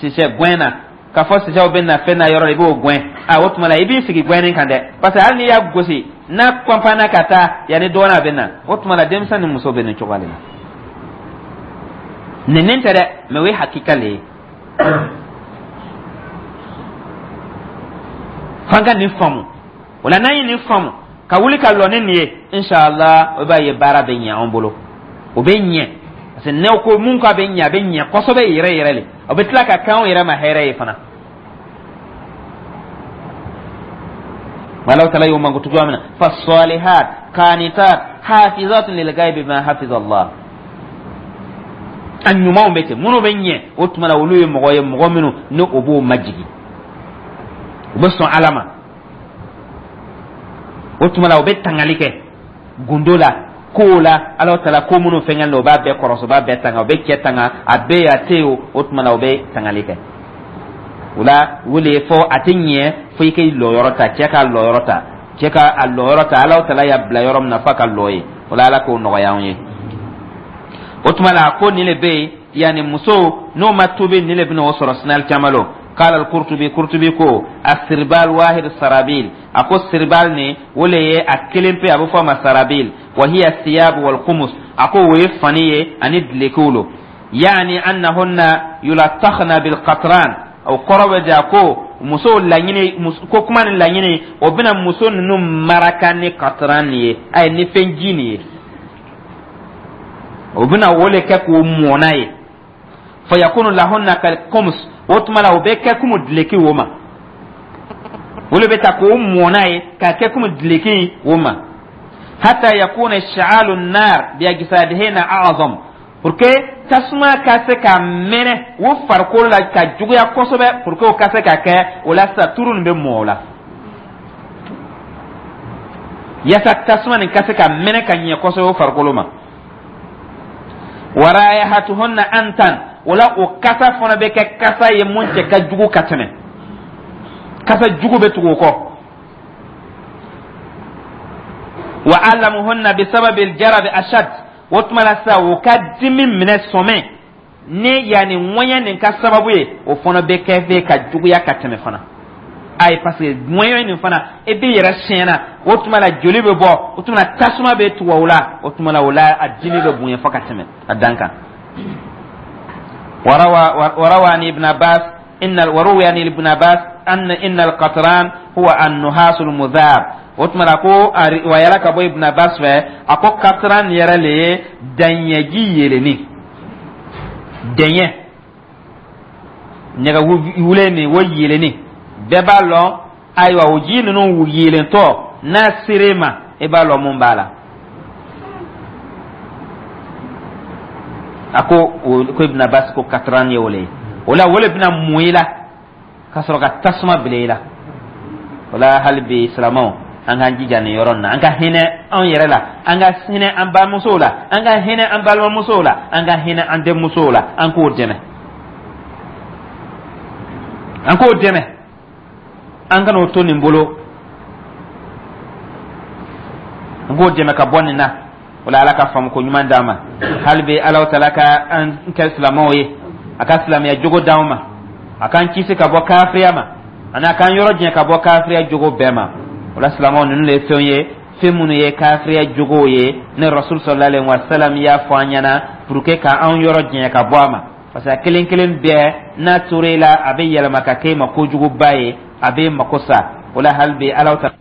Speaker 1: sisɛ gɛn na, k'a fɔ sisɛw bɛ na fɛn na yɔrɔ la, i b'o gɛn. A o tuma la i b'i sigi gɛnni kan dɛ, parce que hali n'i y'a gosi, n'a kɔnpanna ka taa yanni dɔɔnin a bɛ na. O tuma la denmisɛn ni muso bɛ nin cogoya de la. Nin tɛ dɛ, mɛ o ye hakika le ye. F'an ka nin faamu. O la n'an ye nin faamu ka wuli ka lɔ ni nin ye, inshallah, o b'a ye baara bɛ ɲɛ an bolo, o bɛ ɲɛ. Parce que n'aw ko mun k'a bɛ ɲɛ, a bɛ ɲɛ kosɛbɛ yɛrɛ yɛrɛ le. O bɛ tila ka kɛ anw yɛrɛ ma hɛrɛ ye fana. Alahu taala y'o mankutu cogoya min na: fasalihat qanitat hafizatun lil ghaibi bima hafiza Allah. A ɲumanw bɛ ten, minnu bɛ ɲɛ, o tuma la olu ye mɔgɔ ye, mɔgɔ minnu ni o b'o majigin, u bɛ sɔn Ala ma. O tuma la u bɛ tangali kɛ gundo la, kow la. Ala taala ko minnu fɛngɛ o b'a bɛɛ kɔrɔsi, o b'a bɛɛ tanga, o bɛ cɛ tanga, a bɛ yen, a tɛ yen. O tuma la o bɛ tangali kɛ. O la o de ye fɔ a tɛ ɲɛ fo i k'i lɔyɔrɔ ta, cɛ k'a lɔyɔrɔ ta, cɛ ka a lɔyɔrɔ ta. Ala taala y'a bila yɔrɔ min na, f'a ka lɔ yen. O la Ala k'o nɔgɔya anw ye. O tuma la, a ko nin le bɛ yen, yanni muso n'o ma tubi, nin le bɛna o sɔrɔ sinali caman lo. قال القرطبي, قرطبي ko السربال واحد السرابيل. A ko sirbal ni o le ye a kelen pe, a bɛ fɔ a ma sarabil. وهي الثياب والقمص. A ko o ye fani ye ani dulokiw lo. يعني أنهن يلطخن بالقطران. O kɔrɔ bɛ di, a ko musow laɲini ko kuma ni laɲini, o bɛna muso ninnu maraka ni qatran nin ye, ayi, ni fɛn ji nin ye, o bɛna o le kɛ k'o mɔn ye. فيكون لهن كالقمص. O tuma la, o bɛ kɛ komi duloki o ma, o le bɛ ta k'o mɔn ye k'a kɛ komi duloki o ma. حتى يكون اشتعال النار بأجسادهن أعظم, pour que tasuma ka se ka mɛnɛ o farikolo la ka juguya kosɛbɛ, pour que o ka se ka kɛ o la sisan, turu nin bɛ mɔ o la, yasa tasuma nin ka se ka mɛnɛ ka ɲɛ kosɛbɛ o farikolo ma. ورائحتهن أنتن. O la, o kasa fana bɛ kɛ kasa ye mun cɛ ka jugu ka tɛmɛ, kasa jugu bɛ tugu o kɔ. وألمهن بسبب الجرب أشد. O tuma la sisan, o ka dimi minɛ sɔmɛ ni yanni ŋɔɲɛ nin ka sababu ye, o fana bɛ kɛ fɛ ka juguya ka tɛmɛ fana. Ayi, parce que ŋɔɲɛ nin fana, e b'i yɛrɛ siɲɛna, o tuma la joli bɛ bɔ, o tuma la tasuma bɛ tugu o la, o tuma la o la a dimi bɛ bonya fo ka tɛmɛ a dan kan. وروى عن ابن عباس إن وروي عن ابن عباس أن إن القطران هو النحاس المذاب. O tuma la, ko a riwayala ka bɔ Ibn Abbas fɛ, a ko katran yɛrɛ le ye daɲɛji yelenni, dɛɲɛ nɛgɛ wulen nin, o yelenni bɛɛ b'a lɔn. Ayiwa, o ji ninnu yelentɔ n'a ser'e ma, e b'a lɔn mun b'a la. A ko o ko Ibn Abbas ko katran ye o le ye. O la, o le bɛna mun i la ka sɔrɔ ka tasuma bila i la. O la, hali bi silamɛw, an k'an jija nin yɔrɔ nin na, an ka hinɛ anw yɛrɛ la, an ka hinɛ an bamusow la, an ka hinɛ an balimamusow la, an ka hinɛ an denmusow la, an k'o dɛmɛ, an k'o dɛmɛ, an kana o to nin bolo, an k'o dɛmɛ ka bɔ nin na. O la, Ala ka faamu ko ɲuman d'an ma. Hali bi, Ala taala ka an kɛ silamɛw ye, a ka silamɛya jogo d'an ma, a k'an kisi ka bɔ kafiriya ma, ani a k'an yɔrɔ janya ka bɔ kafiriya jogo bɛɛ ma. O la, silamɛw, ninnu de ye fɛnw ye, fɛn minnu ye kafiriya jogow ye, ne Rasul صلى الله عليه وسلم y'a fɔ an ɲɛna pour que ka an yɔrɔ janya ka bɔ a ma, parce que a kelen kelen bɛɛ n'a tora i la, a bɛ yɛlɛma ka kɛ i ma kojuguba ye, a bɛ mako sa. O la, hali bi, Ala ta